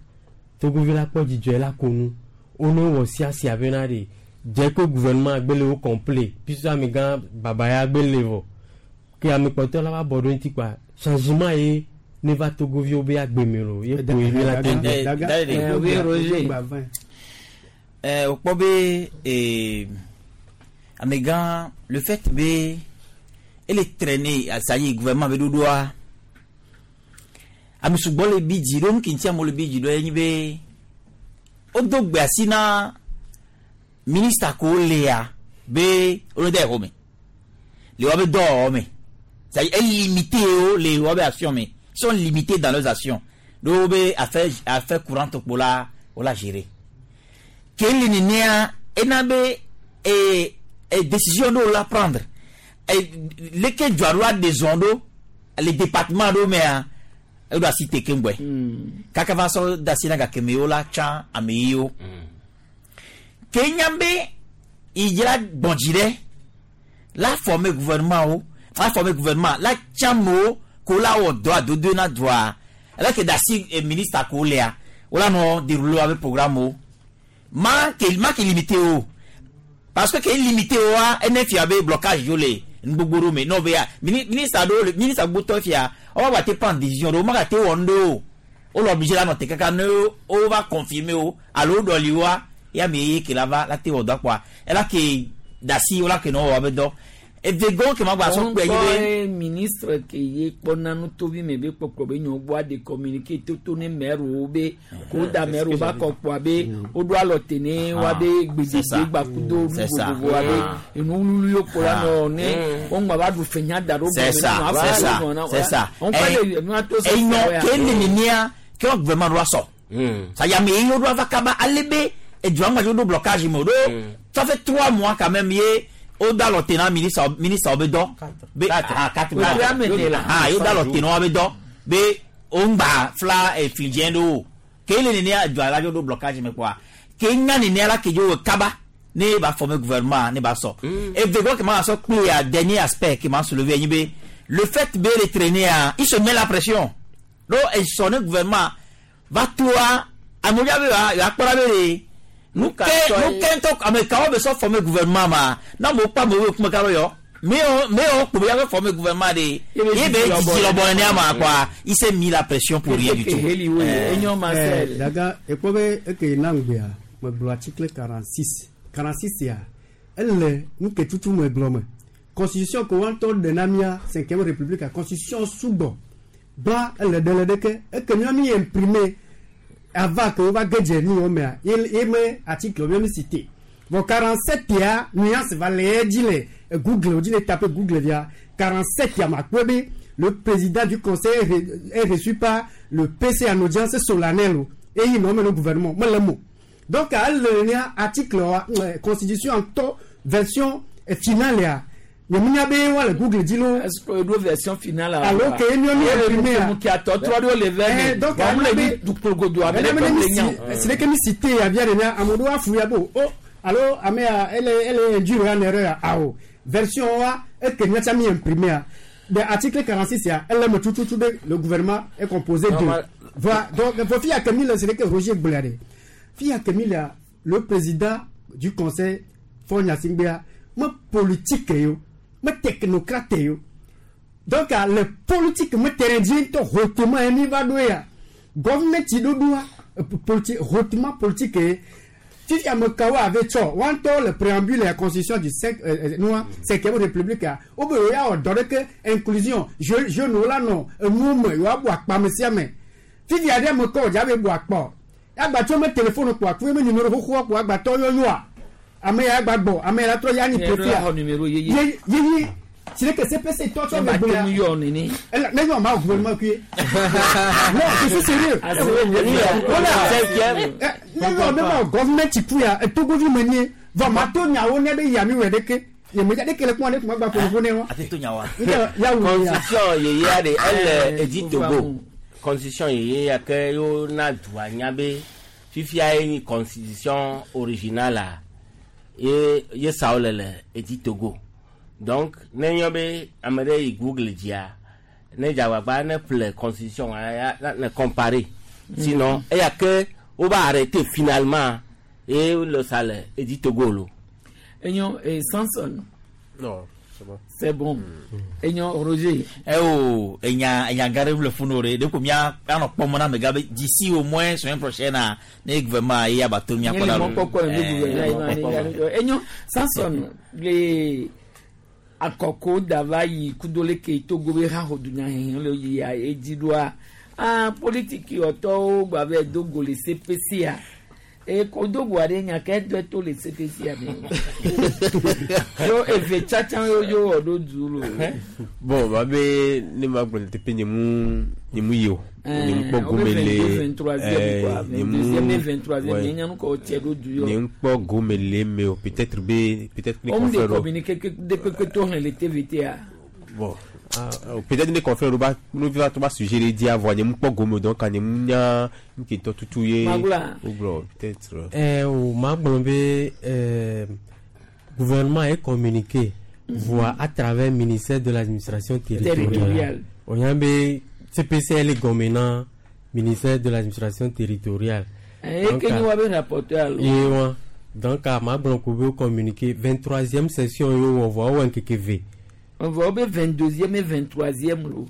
togovi la kpɔ dzidzɔe la ko nu wone wɔ siasia bena ɖe dze ko gouvernement gbe le wo complet puisque amegã baba ya gbe le vɔ ke ame kpɔtɔ la va bɔ ɖo ŋuti kpa changement ye ne va togoviwo be agbeme lo ye ko ye mi la te Eh, oui, Roger. Wòkpɔ be amegã le fait be ele traîner ça y est gouvernement be ɖoɖoa ame sugbɔ le bi dzi ɖo nu ke ŋuti amewo le bi dzi ɖo ye nyi be wodo gbe asi na ministre ko lea be wole de xɔme le woabe dɔwɔwɔ me c'est à dire limité wo le woabe action me. Ils sont limités dans leurs actions ɖo be affaire courante kpo la wola gérer ke le nenea ena be décision ɖewo la prendre. Leke dua ɖo aɖe zɔn ɖo le département ɖo mea eɖo asi te keŋgbɔe kaka va sɔ da asi na gake me wo la tsã ame yiwo ke nya be idzra gbɔ̃dzi ɖe la former gouvernement wo la former gouvernement la tsã amewo ko la wɔ dɔ adodoe na dua ele ke da asi ministre ko lea wo la nɔ dérouler abe programme wo ma ke limité o parce que ke limité wa ene fia be blocage yo le nugbogbo ɖo me n'o be ya ministre ɖewo le ministre gbotɔ fia wɔn ba te prendre décision ɖewo ma ka te wɔ nu ɖewo o le obligé la nɔ te kaka ne o va confirmer o alo o ɖɔli wa ya mi ye ke la va la te wɔ dɔ kpoa ela ke dasi o la ke nɔ wɔ abe dɔ evegɔn ke ma gba sɔ kpe yi be. Ministre ke ye kpɔna nutovi me be kpɔkplɔ be nyɔ gbɔ aɖe communiqué toto ne maire wo be ko da maire wo ba kɔ kpɔa be woɖo alɔ te ne wa be gbedede gbakudo nu vovovo wa be enu wululu yo kpo la nɔ ne wo ŋgba va ɖu fenya da ɖo. C'est ça, c'est ça, c'est ça. Enyɔ ke ne nenia ke wɔ gouvernement ɖo asɔ ça y a me ye ɖo ava kaba ale be edua ŋgba ɖo blocage me o ɖo ça fait 3 mois quand même ye o da lɔ tena ministre be dɔ be ah 4 mois ah ye o da lɔ tena wa be dɔ be o ŋgba fla efidien ɖo o ke le nenia edua la ɖo blocage me kpoa ke nya nenia la ke dzo kaba ne ba former gouvernement ne ba sɔ evegɔ ke ma sɔ kpe ya dernier aspect ke ma soulever nyi be le fait be le traîner a il se met la pression donc esɔ ne gouvernement va toa amewo be ya akpɔra be de nuke nuke ŋutɔ ame kawo be sɔ former gouvernement ma na mo kpa amewo kuma ka be yɔ mewo kpo be ya be former gouvernement de ye be dzidzi lɔbɔ nene ama quoi, il s'est mis la pression pour rien du tout. Daga ekpɔ be eke na ŋgbea megblɔ article 46 46 ya ele nu ke tutu me gblɔ me constitution ko wa ŋutɔ ɖe na mía cinquième république constitution sugbɔ gba ele ɖe le ɖeke eke mía mi imprimer avant que wova ge dze nu wɔ mea ye me article mía mi cité bon 47 ya nuance va le ye dzi le Google o dzi le taper Google via 47 ya ma kpɔe be le président du conseil est reçu par le PC en audience solennelle o eye nɔ me le gouvernement mele mo donc ele nia article wa constitution ŋutɔ version finale ya nyemenya be wa le Google dzi lo. Est-ce que do version finale? Alo ke miɔ mi imprimé ya. Ke atɔtrɔ ɖewo le vɛ mi. Donc wɔn le mi dukpologodo abe ɖe ƒe le nya. Si ɖeke mi cité ya via de nya ame ɖewo afu ya bo o alo ame ya ele induire en erreur ya awo version wa eke miatsa mi imprimé ya de article 46 ya ele me tututu be le gouvernement est composé de voilà. Donc fo fi ya ke mi le si ɖeke Roger gblɔa de fi ya ke mi le le président du conseil Faure Gnassingbé me politique yo me technocrate yo donc le politique me terrain dzi ŋutɔ hotema ye mi va ɖo ya gouvernement ɖoɖoa politique hautement politique ye fifi ame kawo ave tsɔ wa ŋutɔ le préambule ya constitution du cinq nua cinquième république ya wo be yewo ya wɔ dɔ ɖeke inclusion jeune wo la nɔ enuwo me yewoa bu akpa ame sia ame fifi aɖe ame kɔ wòdza be bu akpɔ agbatsɔ me téléphone kpo aku me numéro xoxoa kpo agbatɔ yɔyɔa ame ya agba gbɔ ame ya la trɔ ya ni profil ye yeyi si ɖe ke CPC tɔ tsɔ me gblɔ ya ne yɔ ma gouvernement kui non, je suis sérieux, voilà, ne yɔ ne ma gouvernement ku ya etogovi me nie vɔ ma to nyawo ne be yami wɔ ɖeke yemedza ɖeke le kuma ne kuma gba ƒoƒo ne wa. Ate to nyawa. Ya wu ya. Constitution yeye de ele edi Togo constitution yeye ya ke yo na dua nya be fifia ye nyi constitution originale a ye ye sawo le le edi Togo donc ne nyɔ be ame ɖe yi Google dzia ne dzagbagba ne ƒle constitution ya ne comparer sinon eya ke wo va arrêter finalement ye le sa le edi Togo lo. Enyo eh, Samson. Non, c'est bon. C'est bon. Enyo Roger. Eh oh, enya enya gare le funore de ko mia anɔ kpɔm na mega be d'ici au moins semaine prochaine a ne gouvernement ye abato mia kɔ la. Enyo Samson le akɔko dava yi kudo leke Togo be ha ho dunya le yi ya edzi ɖoa ah politiki wɔtɔwo gba be do go le CPC a E kodogo aɖe nya ke dɔ to le CPC ame. Yo eve tsatsa yo yo wɔ ɖo du lo. Bon, ma be ne ma gblɔ teƒe nye mu nye mu yi o. Nye mu kpɔ gome le. 23e quoi, 22e et 23e, nye nya nu kɔ tse ɖo du yo. Nye mu kpɔ gome le me o. Peut-être be peut-être ne Homme de confrère. communiqué que de kpekpe to hlẽ le TVT a. Bon. Ah, peut-être ne confrère ba no va to ba sujet le di avɔ nye mu kpɔ gome o donc nye mu nya nke tɔ tutu ye. Magula. O gblɔ peut-être. Eh, o ma gblɔ be gouvernement est communiqué voit à travers ministère de l'administration territoriale. Territoriale. O nya be CPC le gɔme na ministère de l'administration territoriale. Eh, ke ni wa be rapporteur alo. Ye wa. Donc a ma gblɔ ko be o communiqué 23e session ye wɔ vɔ wɔ ŋkeke ve. On va be 22e et 23e lo.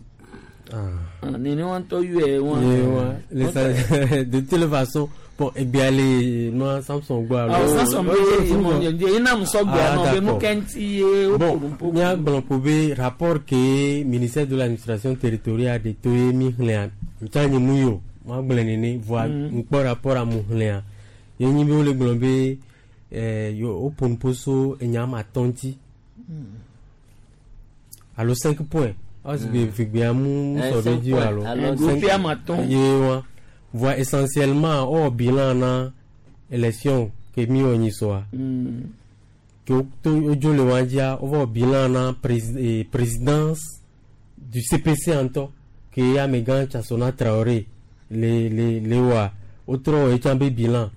Ah. Nene wa ŋutɔ yɔe wa. Ye wa. Les de toute façon, bon, egbea le nua Samson gbɔ alo. Ah, Samson be mo nye ina musɔ gbea Ah, nɔ be nu d'accord. ke ŋuti ye wo Bon, ƒo nu ƒo. míagblɔ ko be rapport ke ministère de l'administration territoriale de to ye mi xlẽa ntsa nye mu yi o magblɔe nene voa ŋkpɔ rapport a mu xlẽa ye nyi be wole gblɔ be yo woƒo nu ƒo so enya ame atɔ̃ ŋuti alo 5 points ɔsi vegbea mu Eh, sɔ ɖe cinq dzi o points. alo Alo Gope ame atɔ̃. ye wa voa essentiellement wowɔ bilan na élection ke mi wɔ nyi sɔa ke woto wodzo le wa dzia wova wɔ bilan na présidence du CPC ŋutɔ ke amegã Tchasona Traoré le le le wɔa wotrɔ wɔ etsã be bilan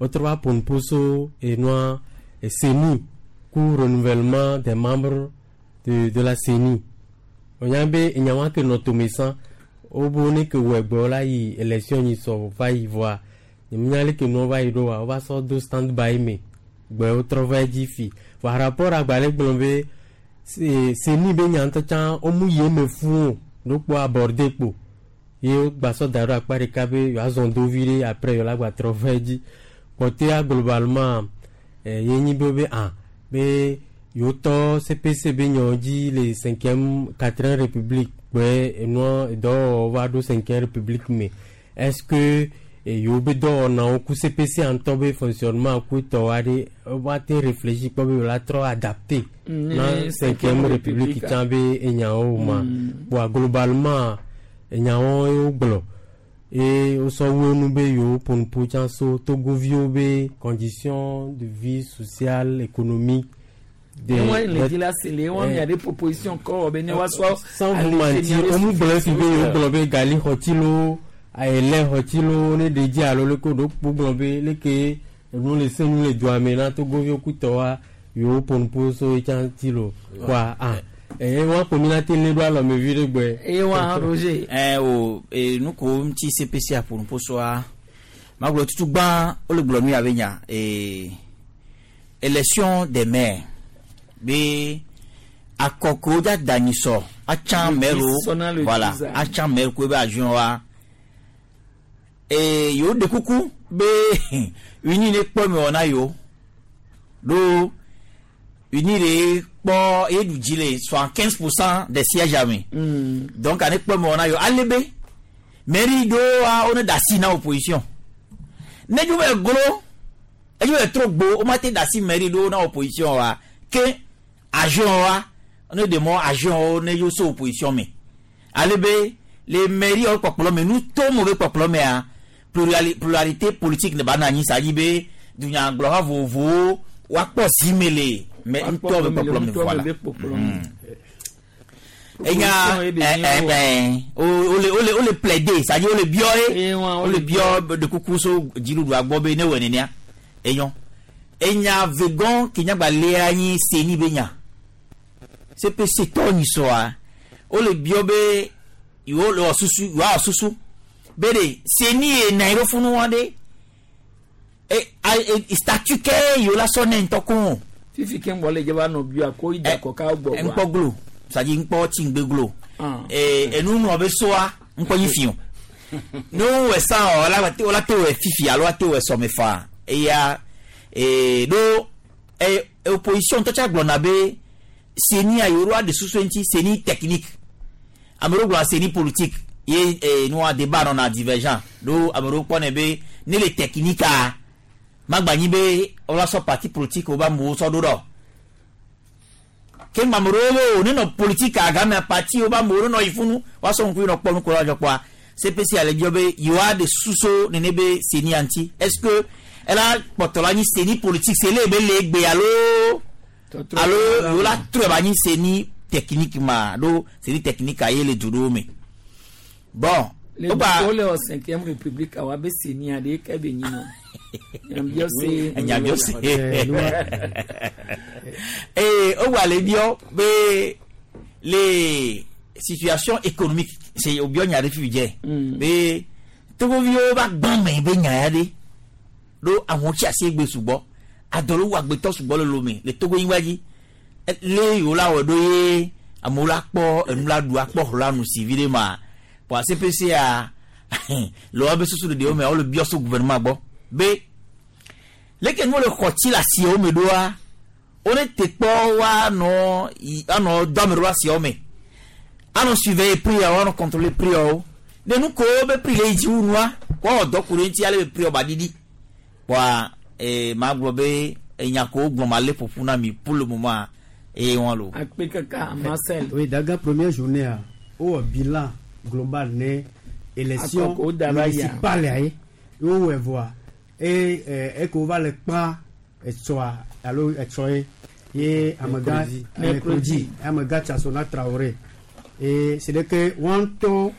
wotrɔ va ƒo nu ƒo so enua CENI ku renouvellement des membres de la CENI wonya be enyawa ke nɔ tome sã wobo ne ke wɔ egbe la yi élection nyi sɔ va yi vɔa nyemenya leke nua va yi ɖo wa wova sɔ do stand by me gbe wotrɔ va edzi fi vɔa rapport agbalẽ gblɔ be CENI be nya ŋutɔ tsã womu yi eme fũ o ɖo kpɔ aborder kpo ye wogba sɔ da ɖo akpa ɖeka be yewoazɔ do vi ɖe après yewola gba trɔ va edzi kpɔtɔa globalement ye nyi be be ah be yewotɔ CPC be nyawo dzi le cinquième quatrième république kpe enua edɔwɔwɔ va ɖo cinquième république me est-ce que yewo be dɔwɔnawo ku CPC ŋutɔ be fonctionnement ku tɔwo aɖe woate te réfléchi kpɔ be yewola trɔ adapté na cinquième république tsã be enyawo ma kpoa globalement enyawo ye wogblɔ ye wosɔ wu enu be yewo ƒo nu ƒo tsã so togoviwo be condition de vie sociale économique Ne wa le di la sele wa mia de proposition kɔ wɔ be ne wa sɔ. sans vous mentir womu gblɔ fi be yewo gblɔ be gali xɔtsi lo ayelɛ xɔtsi lo ne ɖe dzi alo leke ɖo kpo gblɔ be leke enu le se nu le dua me na togoviwo kutɔwa yewo ƒo nu ƒo so etsã ŋuti lo kpoa ah eye wa ko mi na te lé ɖo alɔme vi ɖe gbɔe. Eye wa Roger. O nu ko ŋuti CPC aƒo nu ƒo soa magblɔ tutu gbã wole gblɔ nu ya be nya élection des maires be akɔko dza da nyisɔ atsã Le maire wo dix sɔna le voilà dix a. atsã maire ko ebe adjoint wa yewo ɖe kuku be uni ne kpɔ me wɔ na yewo ɖo uni de kpɔ ye ɖu dzi le 75% des sièges ame donc ane kpɔ me wɔ na yewo ale be mairie ɖewoa wo ne da asi na opposition ne dzo be glo edzo be trɔ gbo wo ma te da asi mairie ɖewo na opposition wa ke adjoint wa ne ɖe mɔ adjoint wo ne yewo so opposition me ale be le mairie wo kpɔkplɔ me nu to mo be kpɔkplɔ mea pluralité politique ne ba na anyi sa dzi be dunyagblɔha vovovowo woakpɔ zime le mɛ ŋutɔ be kpɔkplɔ me voilà. Enya wole plaider c'est-à-dire wole biɔ ye wole biɔ de kuku so dziɖuɖua gbɔ be ne wɔ nenea enyɔ enya vegan ke nyagba lea nyi CENI be nya CPC tɔ nyisɔa wole biɔ be yewo le wɔ susu yewoawɔ susu be de CENI ye na yi ɖo funu wa ɖe statut ke yewo la sɔ ne ŋutɔ ko o. Fifi ke ŋgbɔ le dze va nɔ bia ko yi da kɔ ka gbɔ. Ŋkpɔ glo c'est-à-dire ŋkpɔ tsi ŋgbe glo enu ŋlɔ be soa ŋkpɔ nyi fi o ne wowɔ san o wola te wɔ fifi alo woate wɔ sɔme fa eya ɖo opposition ŋutɔ tsa gblɔna be CENI a yewo ɖo aɖe susu ŋuti CENI technique ame ɖewo gblɔna CENI politique ye nua débat nɔna divergent ɖo ame ɖewo kpɔnɛ be ne le technique a Magba nyi be wola sɔ parti politique wo ba amewo sɔ ɖo ɖɔ. Ke ŋgba ame ɖewo be o ne nɔ politique game parti wo ba amewo ne nɔ yi funu woasɔ ŋku yi nɔ kpɔ nu ko la dzɔ kpɔa CPC ale biɔ be yewoa ɖe susu nene be CENI ya ŋuti. Est ce que ela kpɔtɔ la nyi CENI politique se le be le egbe alo alo yewo la trɔe ba nyi CENI technique ma ɖo CENI technique a ye le du ɖewo me. Bon, Le wogba wo le wɔ cinquième république awa be CENI aɖe ke be nyi nɔ. Nyabiɔ se. Nyabiɔ se. Ee wogba le biɔ be le situation économique c'est obiɔ nya ɖe fifi dze be togoviwo va gbã me be nya ya ɖe ɖo amewo tsi asi egbe sugbɔ adɔ ɖo wu agbetɔ sugbɔ le lome le togo nyigba dzi le yiwo la wɔ ɖo ye amewo la kpɔ enu la ɖu akpɔ xɔ la nu si vi ɖe ma kpɔ CPC ya le woabe susu ɖeɖewo me wole biɔ so gouvernement gbɔ be leke nuwo le xɔ tsi le asiawo me ɖoa wone te kpɔ woanɔ yi anɔ do ame ɖo asiawo me anɔ surveiller prix yawo anɔ contrôler prix yawo ne nu ko be prix le yi dzi wu nua woawɔ dɔ ku ɖe ŋuti ale be prix yawo ba ɖiɖi kpɔa ee ma gblɔ be enya ko gblɔ ma le ƒoƒu na mi pour le moment eye wɔn lo. Akpe kaka Marcel. Oui, daga première journée a wowɔ bilan global ne élection Akɔkɔ wo da va yia. municipale ya ye wowɔe vɔa eye eke wova le kpã etsɔa alo etsɔ ye ye amegã Mercredi. mercredi amegã Tchasona Traoré et c'est de que wɔn ŋutɔ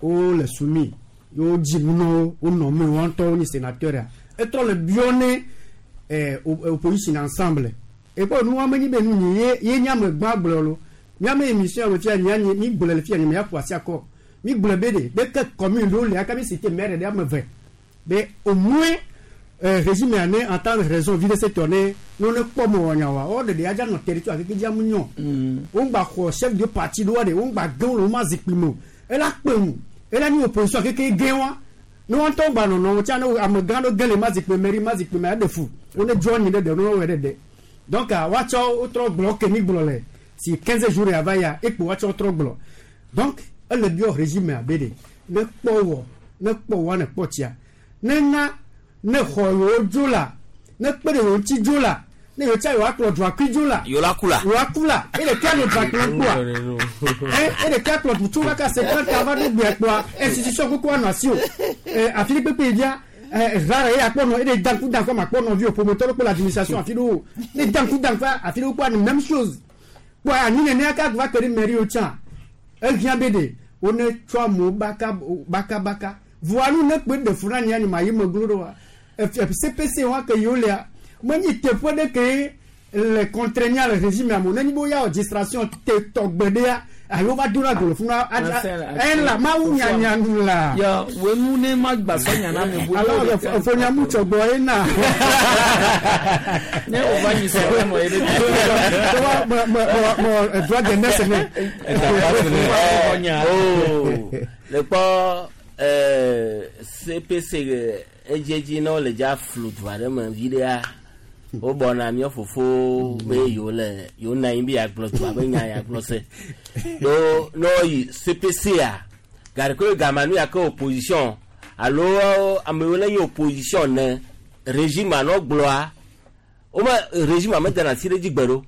wole soumis ye wodzi nu na wo wonɔ me wɔn ŋutɔ wonye sénateur ya etrɔ le biɔ ne opposition ensemble ekpɔ nu wɔn menyi be nu nyi ye ye nye ame gbã gblɔ lo miame émission me fia nya nye mi gblɔ le fia nye me ya ƒo asi akɔ mi gblɔ be de be ke commune ɖewo le aka mi cité maire ɖe ame ve be au moins régime ya ne entendre raison vi ɖe se tɔ ne ne wo ne kpɔ mɔ wɔ nya wa wo ɖeɖe ya dza nɔ territoire keke dza mu nyɔ wo ŋgba xɔ chef de parti ɖewoa ɖe wo ŋgba ge wo le wo ma zikpui me o ela kpe ŋu ela nyi opposition keke ge wa ne wɔn ŋutɔ gba nɔnɔ wo tsa ne amegã ɖo ge le ma zikpui mairie ma zikpui me aɖe fu wo ne dzɔ nyi ɖe ɖe ne wo wɔ ɖe ɖe donc woatsɔ wotrɔ gblɔ ke mi gblɔ le si 15 jours ya va ya ekpo woatsɔ wotrɔ gblɔ donc ele biɔ régime abe ɖe ne kpɔ wɔ ne kpɔ wɔ ne kpɔ tsia ne na ne xɔ yewo dzo la ne kpe ɖe yewo ŋuti dzo la ne yewo tsa yewo akplɔ dzuakui dzo la yewo la ku la yewo aku la eye ɖeka nɔ dzuakplɔ kpɔa eye ɖeka kplɔ du tso kaka 50 ava ɖo gbea kpɔa institution koko anɔ asi o afi ɖe kpekpe via rare ye akpɔ nɔ eye danku danku ma kpɔ nɔvi o ƒometɔ ɖe kpɔ le administration afi ɖewo ne danku danku afi ɖewo kpɔ même chose kpɔ anyi nene aka va kpe ɖe mairie wo tsã ehiã be ɖe wo ne tsɔ amewo baka baka baka voa nu ne kpe ɖe fu na nye anyi ma yi me glo ɖo wa CPC wa ke yewo lea menyi teƒe ɖe ke le contraignant le régime amewo ne nyi be woya wɔ distraction te tɔgbe ɖea ayi wova do na go le funu la mawu nyanya nu la. Ya wenu ne ma gba sɔ nyana mi bo. Alors fonyamu tsɔgbɔ ye na. Ne o va nyi sɔ ɛmɔ ye de. Tɔwa mɔ mɔ mɔ droit de naissance ne. Oh, le kpɔ CPC edziedzi ne wole dza flu du aɖe me vi ɖea wobɔna mía fofo be yewo le yewo nɔ anyi be yeagblɔ dua be nya yeagblɔ se ɖo ne woyi CPC a gake gama nu ya ke opposition alo ame yiwo le nye opposition ne régime anɔ gblɔa wome régime medena asi ɖe dzi gbe ɖo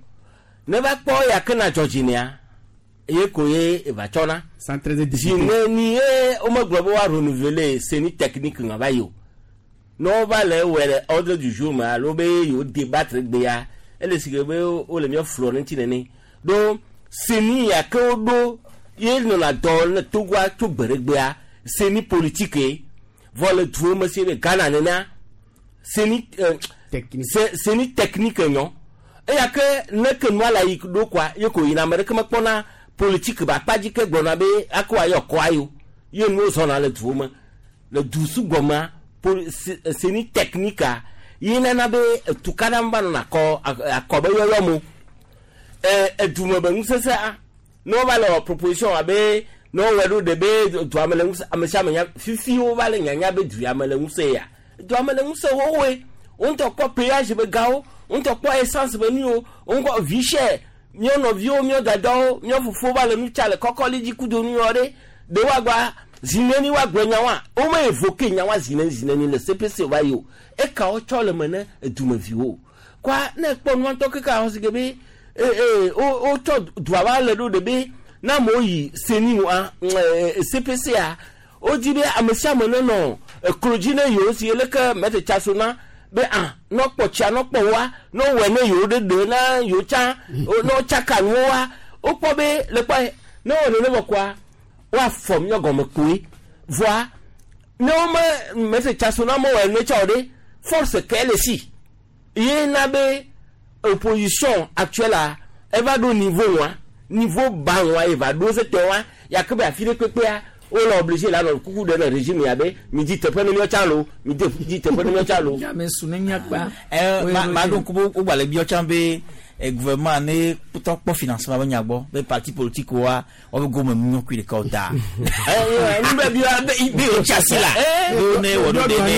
ne va kpɔ ya ke na dzɔ dzi nea ye ko ye eva tsɔna zi ne ni ye womegblɔ be woa renouveler CENI technique ŋa va yi o ne wova le ewɔe le ordre du jour me alo be yewo débattre gbea ele si ke be wole mía flɔ ɖe ŋuti nene ɖo CENI ya ke woɖo ye nɔna dɔ le Togoa tso gbe ɖe gbea CENI politique ye vɔ le duwo me si le Ghana nenea CENI CENI technique nyɔ eya ke ne ke nua le yi ɖo koa ye ko yina ame ɖeke mekpɔna politique be akpa dzi ke gblɔna be ako ayɔ kɔa yo ye nuwo zɔna le duwo me le du sugbɔ mea CENI technique yi nana be tukaɖa va nɔna akɔ akɔ be yɔyɔ mo edume be ŋusesea ne wova le wɔ proposition abe ne wowɔ ɖo ɖe be dua me le ŋusẽ ame sia ame nya fifi wova le nyanya be dua me le ŋusẽ ya dua me le ŋusẽ xoxoe wo ŋutɔ kpɔ péage be gawo wo ŋutɔ kpɔ essence be nuwo wo ŋutɔ vie cher míawo nɔviwo míawo dadawo míawo fofowo va le nu tsa le kɔkɔli dzi kudo nu yɔ ɖe ɖe woagba Zineni wa gblɔ nya wa wo me évoqué nya wa zineni zineni le CPC va yi o eka wo tsɔ le me ne edumeviwo kɔa ne kpɔ nua ŋutɔ keke ahɔ si ke be ee ee wo wotsɔ dua va le ɖo ɖe be na amewo yi seni wa CPC a wodzi be ame sia ame nenɔ eklo dzi ne yewo si leke mɛte tsaso na be ah nɔ kpɔ tsia nɔ kpɔ wa nɔ wɔe ne yewo ɖe ɖe na yewo tsã nɔ tsaka nuwo wa wokpɔ be le kpɔ ne wɔ nene vɔ kɔa woafɔ míɔ gɔme koe voa ne wome mɛte tsaso na mewɔ ene tsã o ɖe force ke le si ye na be opposition actuelle a eva ɖo niveau wa niveau ba wa ye va ɖo se tɔ wa yake be afi ɖe kpekpea wole obligé la nɔ kuku ɖe le régime ya be mi di teƒe ne míɔ tsã lo mi de di teƒe ne míɔ tsã lo. Ame su ne míakpa. Ma ɖo ŋku be wogba le biɔ tsã be gouvernement ne tɔ kpɔ financement be nya gbɔ be parti politique wa woabe gome mu nyɔkui ɖeka o ta. Nu be biɔ be yewo tsi asi la be wo ne wɔ ɖo ɖe ne.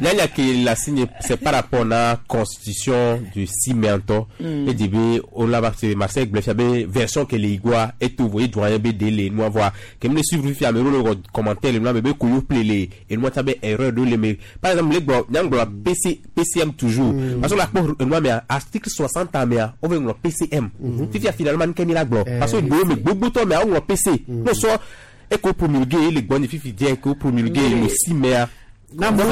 Nyanya ke la signe c'est par rapport na constitution du 6 mai ŋutɔ e di be o la ba se Marseille gblɔ fia be version ke le igua eto vo edoyen be de le nua voa ke mi le suivre fia ame ɖewo le wɔ commentaire le nua me be koyo ple le enua tsa be erreur ɖewo le me par exemple le gblɔ nyaŋgblɔ PC PCM toujours parce que la kpɔ enua mea article 60 mea wove ŋlɔ PCM fifia finalement nke mi la gblɔ parce que gbewo me gbogbotɔ mea woŋlɔ PC n'o sɔ eko promulgué le gbɔ ni fifi diɛ eko promulgué le 6 mai donc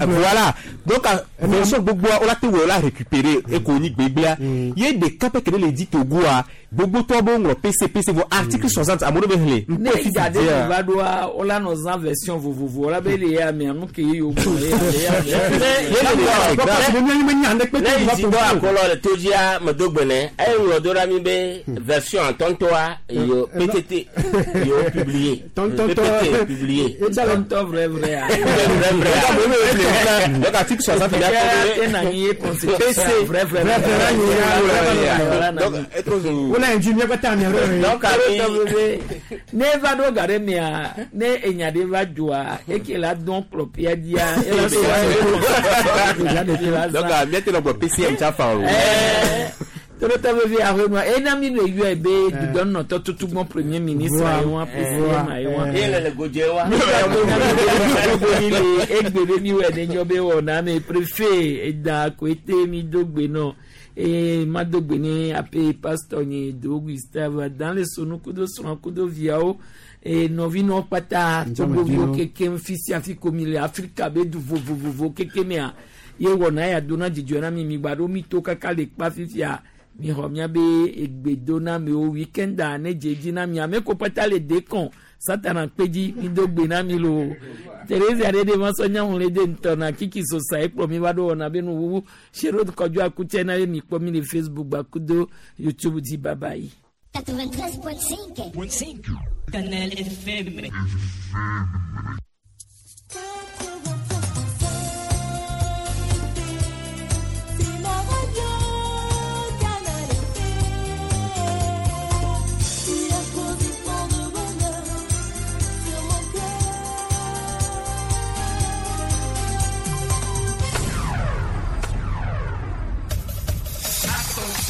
voilà donc version gbogbo o la te wɔ o la récupérer eko ni gbegblea ye ɖeka pɛ ke ne le di Togoa gbogbo tɔ be ŋlɔ PC PC vɔ article 60 amewo be xlẽ ne dza de va ɖoa wola nɔ zã version vovovo wola be le ya mea nu ke ye yewo gblɔ ye ya ne yi dzi dɔ akɔlɔ le to dzia medo gbe ne eye ŋlɔ do ɖa mi be version atɔntɔa yo PTT yo publié PPT publié tɔntɔ vrai vrai a vrai vrai donc article 60 PC vrai vrai donc donc ne va ɖo ga ɖe mea ne enya ɖe va dzoa eke la dɔn kplɔpia dzia ela sɔ donc miate nɔ gblɔ PCM tsa fa o. Tolotɔ vevi ahonua ena mi le yɔe be dudɔnɔtɔ tutugbɔn premier ministre ayi wa PCM ayi wa. Ye le le godze wa. Mi le egbe be mi wɔ ne nyɔ be wɔna me préfet eda koete mi do gbe nɔ eye ma do gbe ne ape pasteur nye do Gustave dan le sonu kudo srɔ̃ kudo viawo eye nɔvinɔwo kpata togoviwo kekem fi sia fi ko mi le Afrika be du vovovovo keke mea ye wɔna ya dona dzidzɔ na mi mi gba ɖo mi to kaka le kpa fifia mi xɔ miabe egbedonamewo weekend-a ne dze dzi na mi ame ko kpata le dekɔn satana kpe dzi mi do gbe na mi lo Teresa ɖe ɖe ma sɔ nyaŋu le de ŋutɔ na kiki sosa ekplɔ mi va ɖo wɔna be nuwuwu sero kɔdzo akutsɛ na ye mi kpɔ mi le Facebook gbakudo YouTube dzi bye bye. 93.5 Canal FM.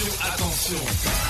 Attention, attention.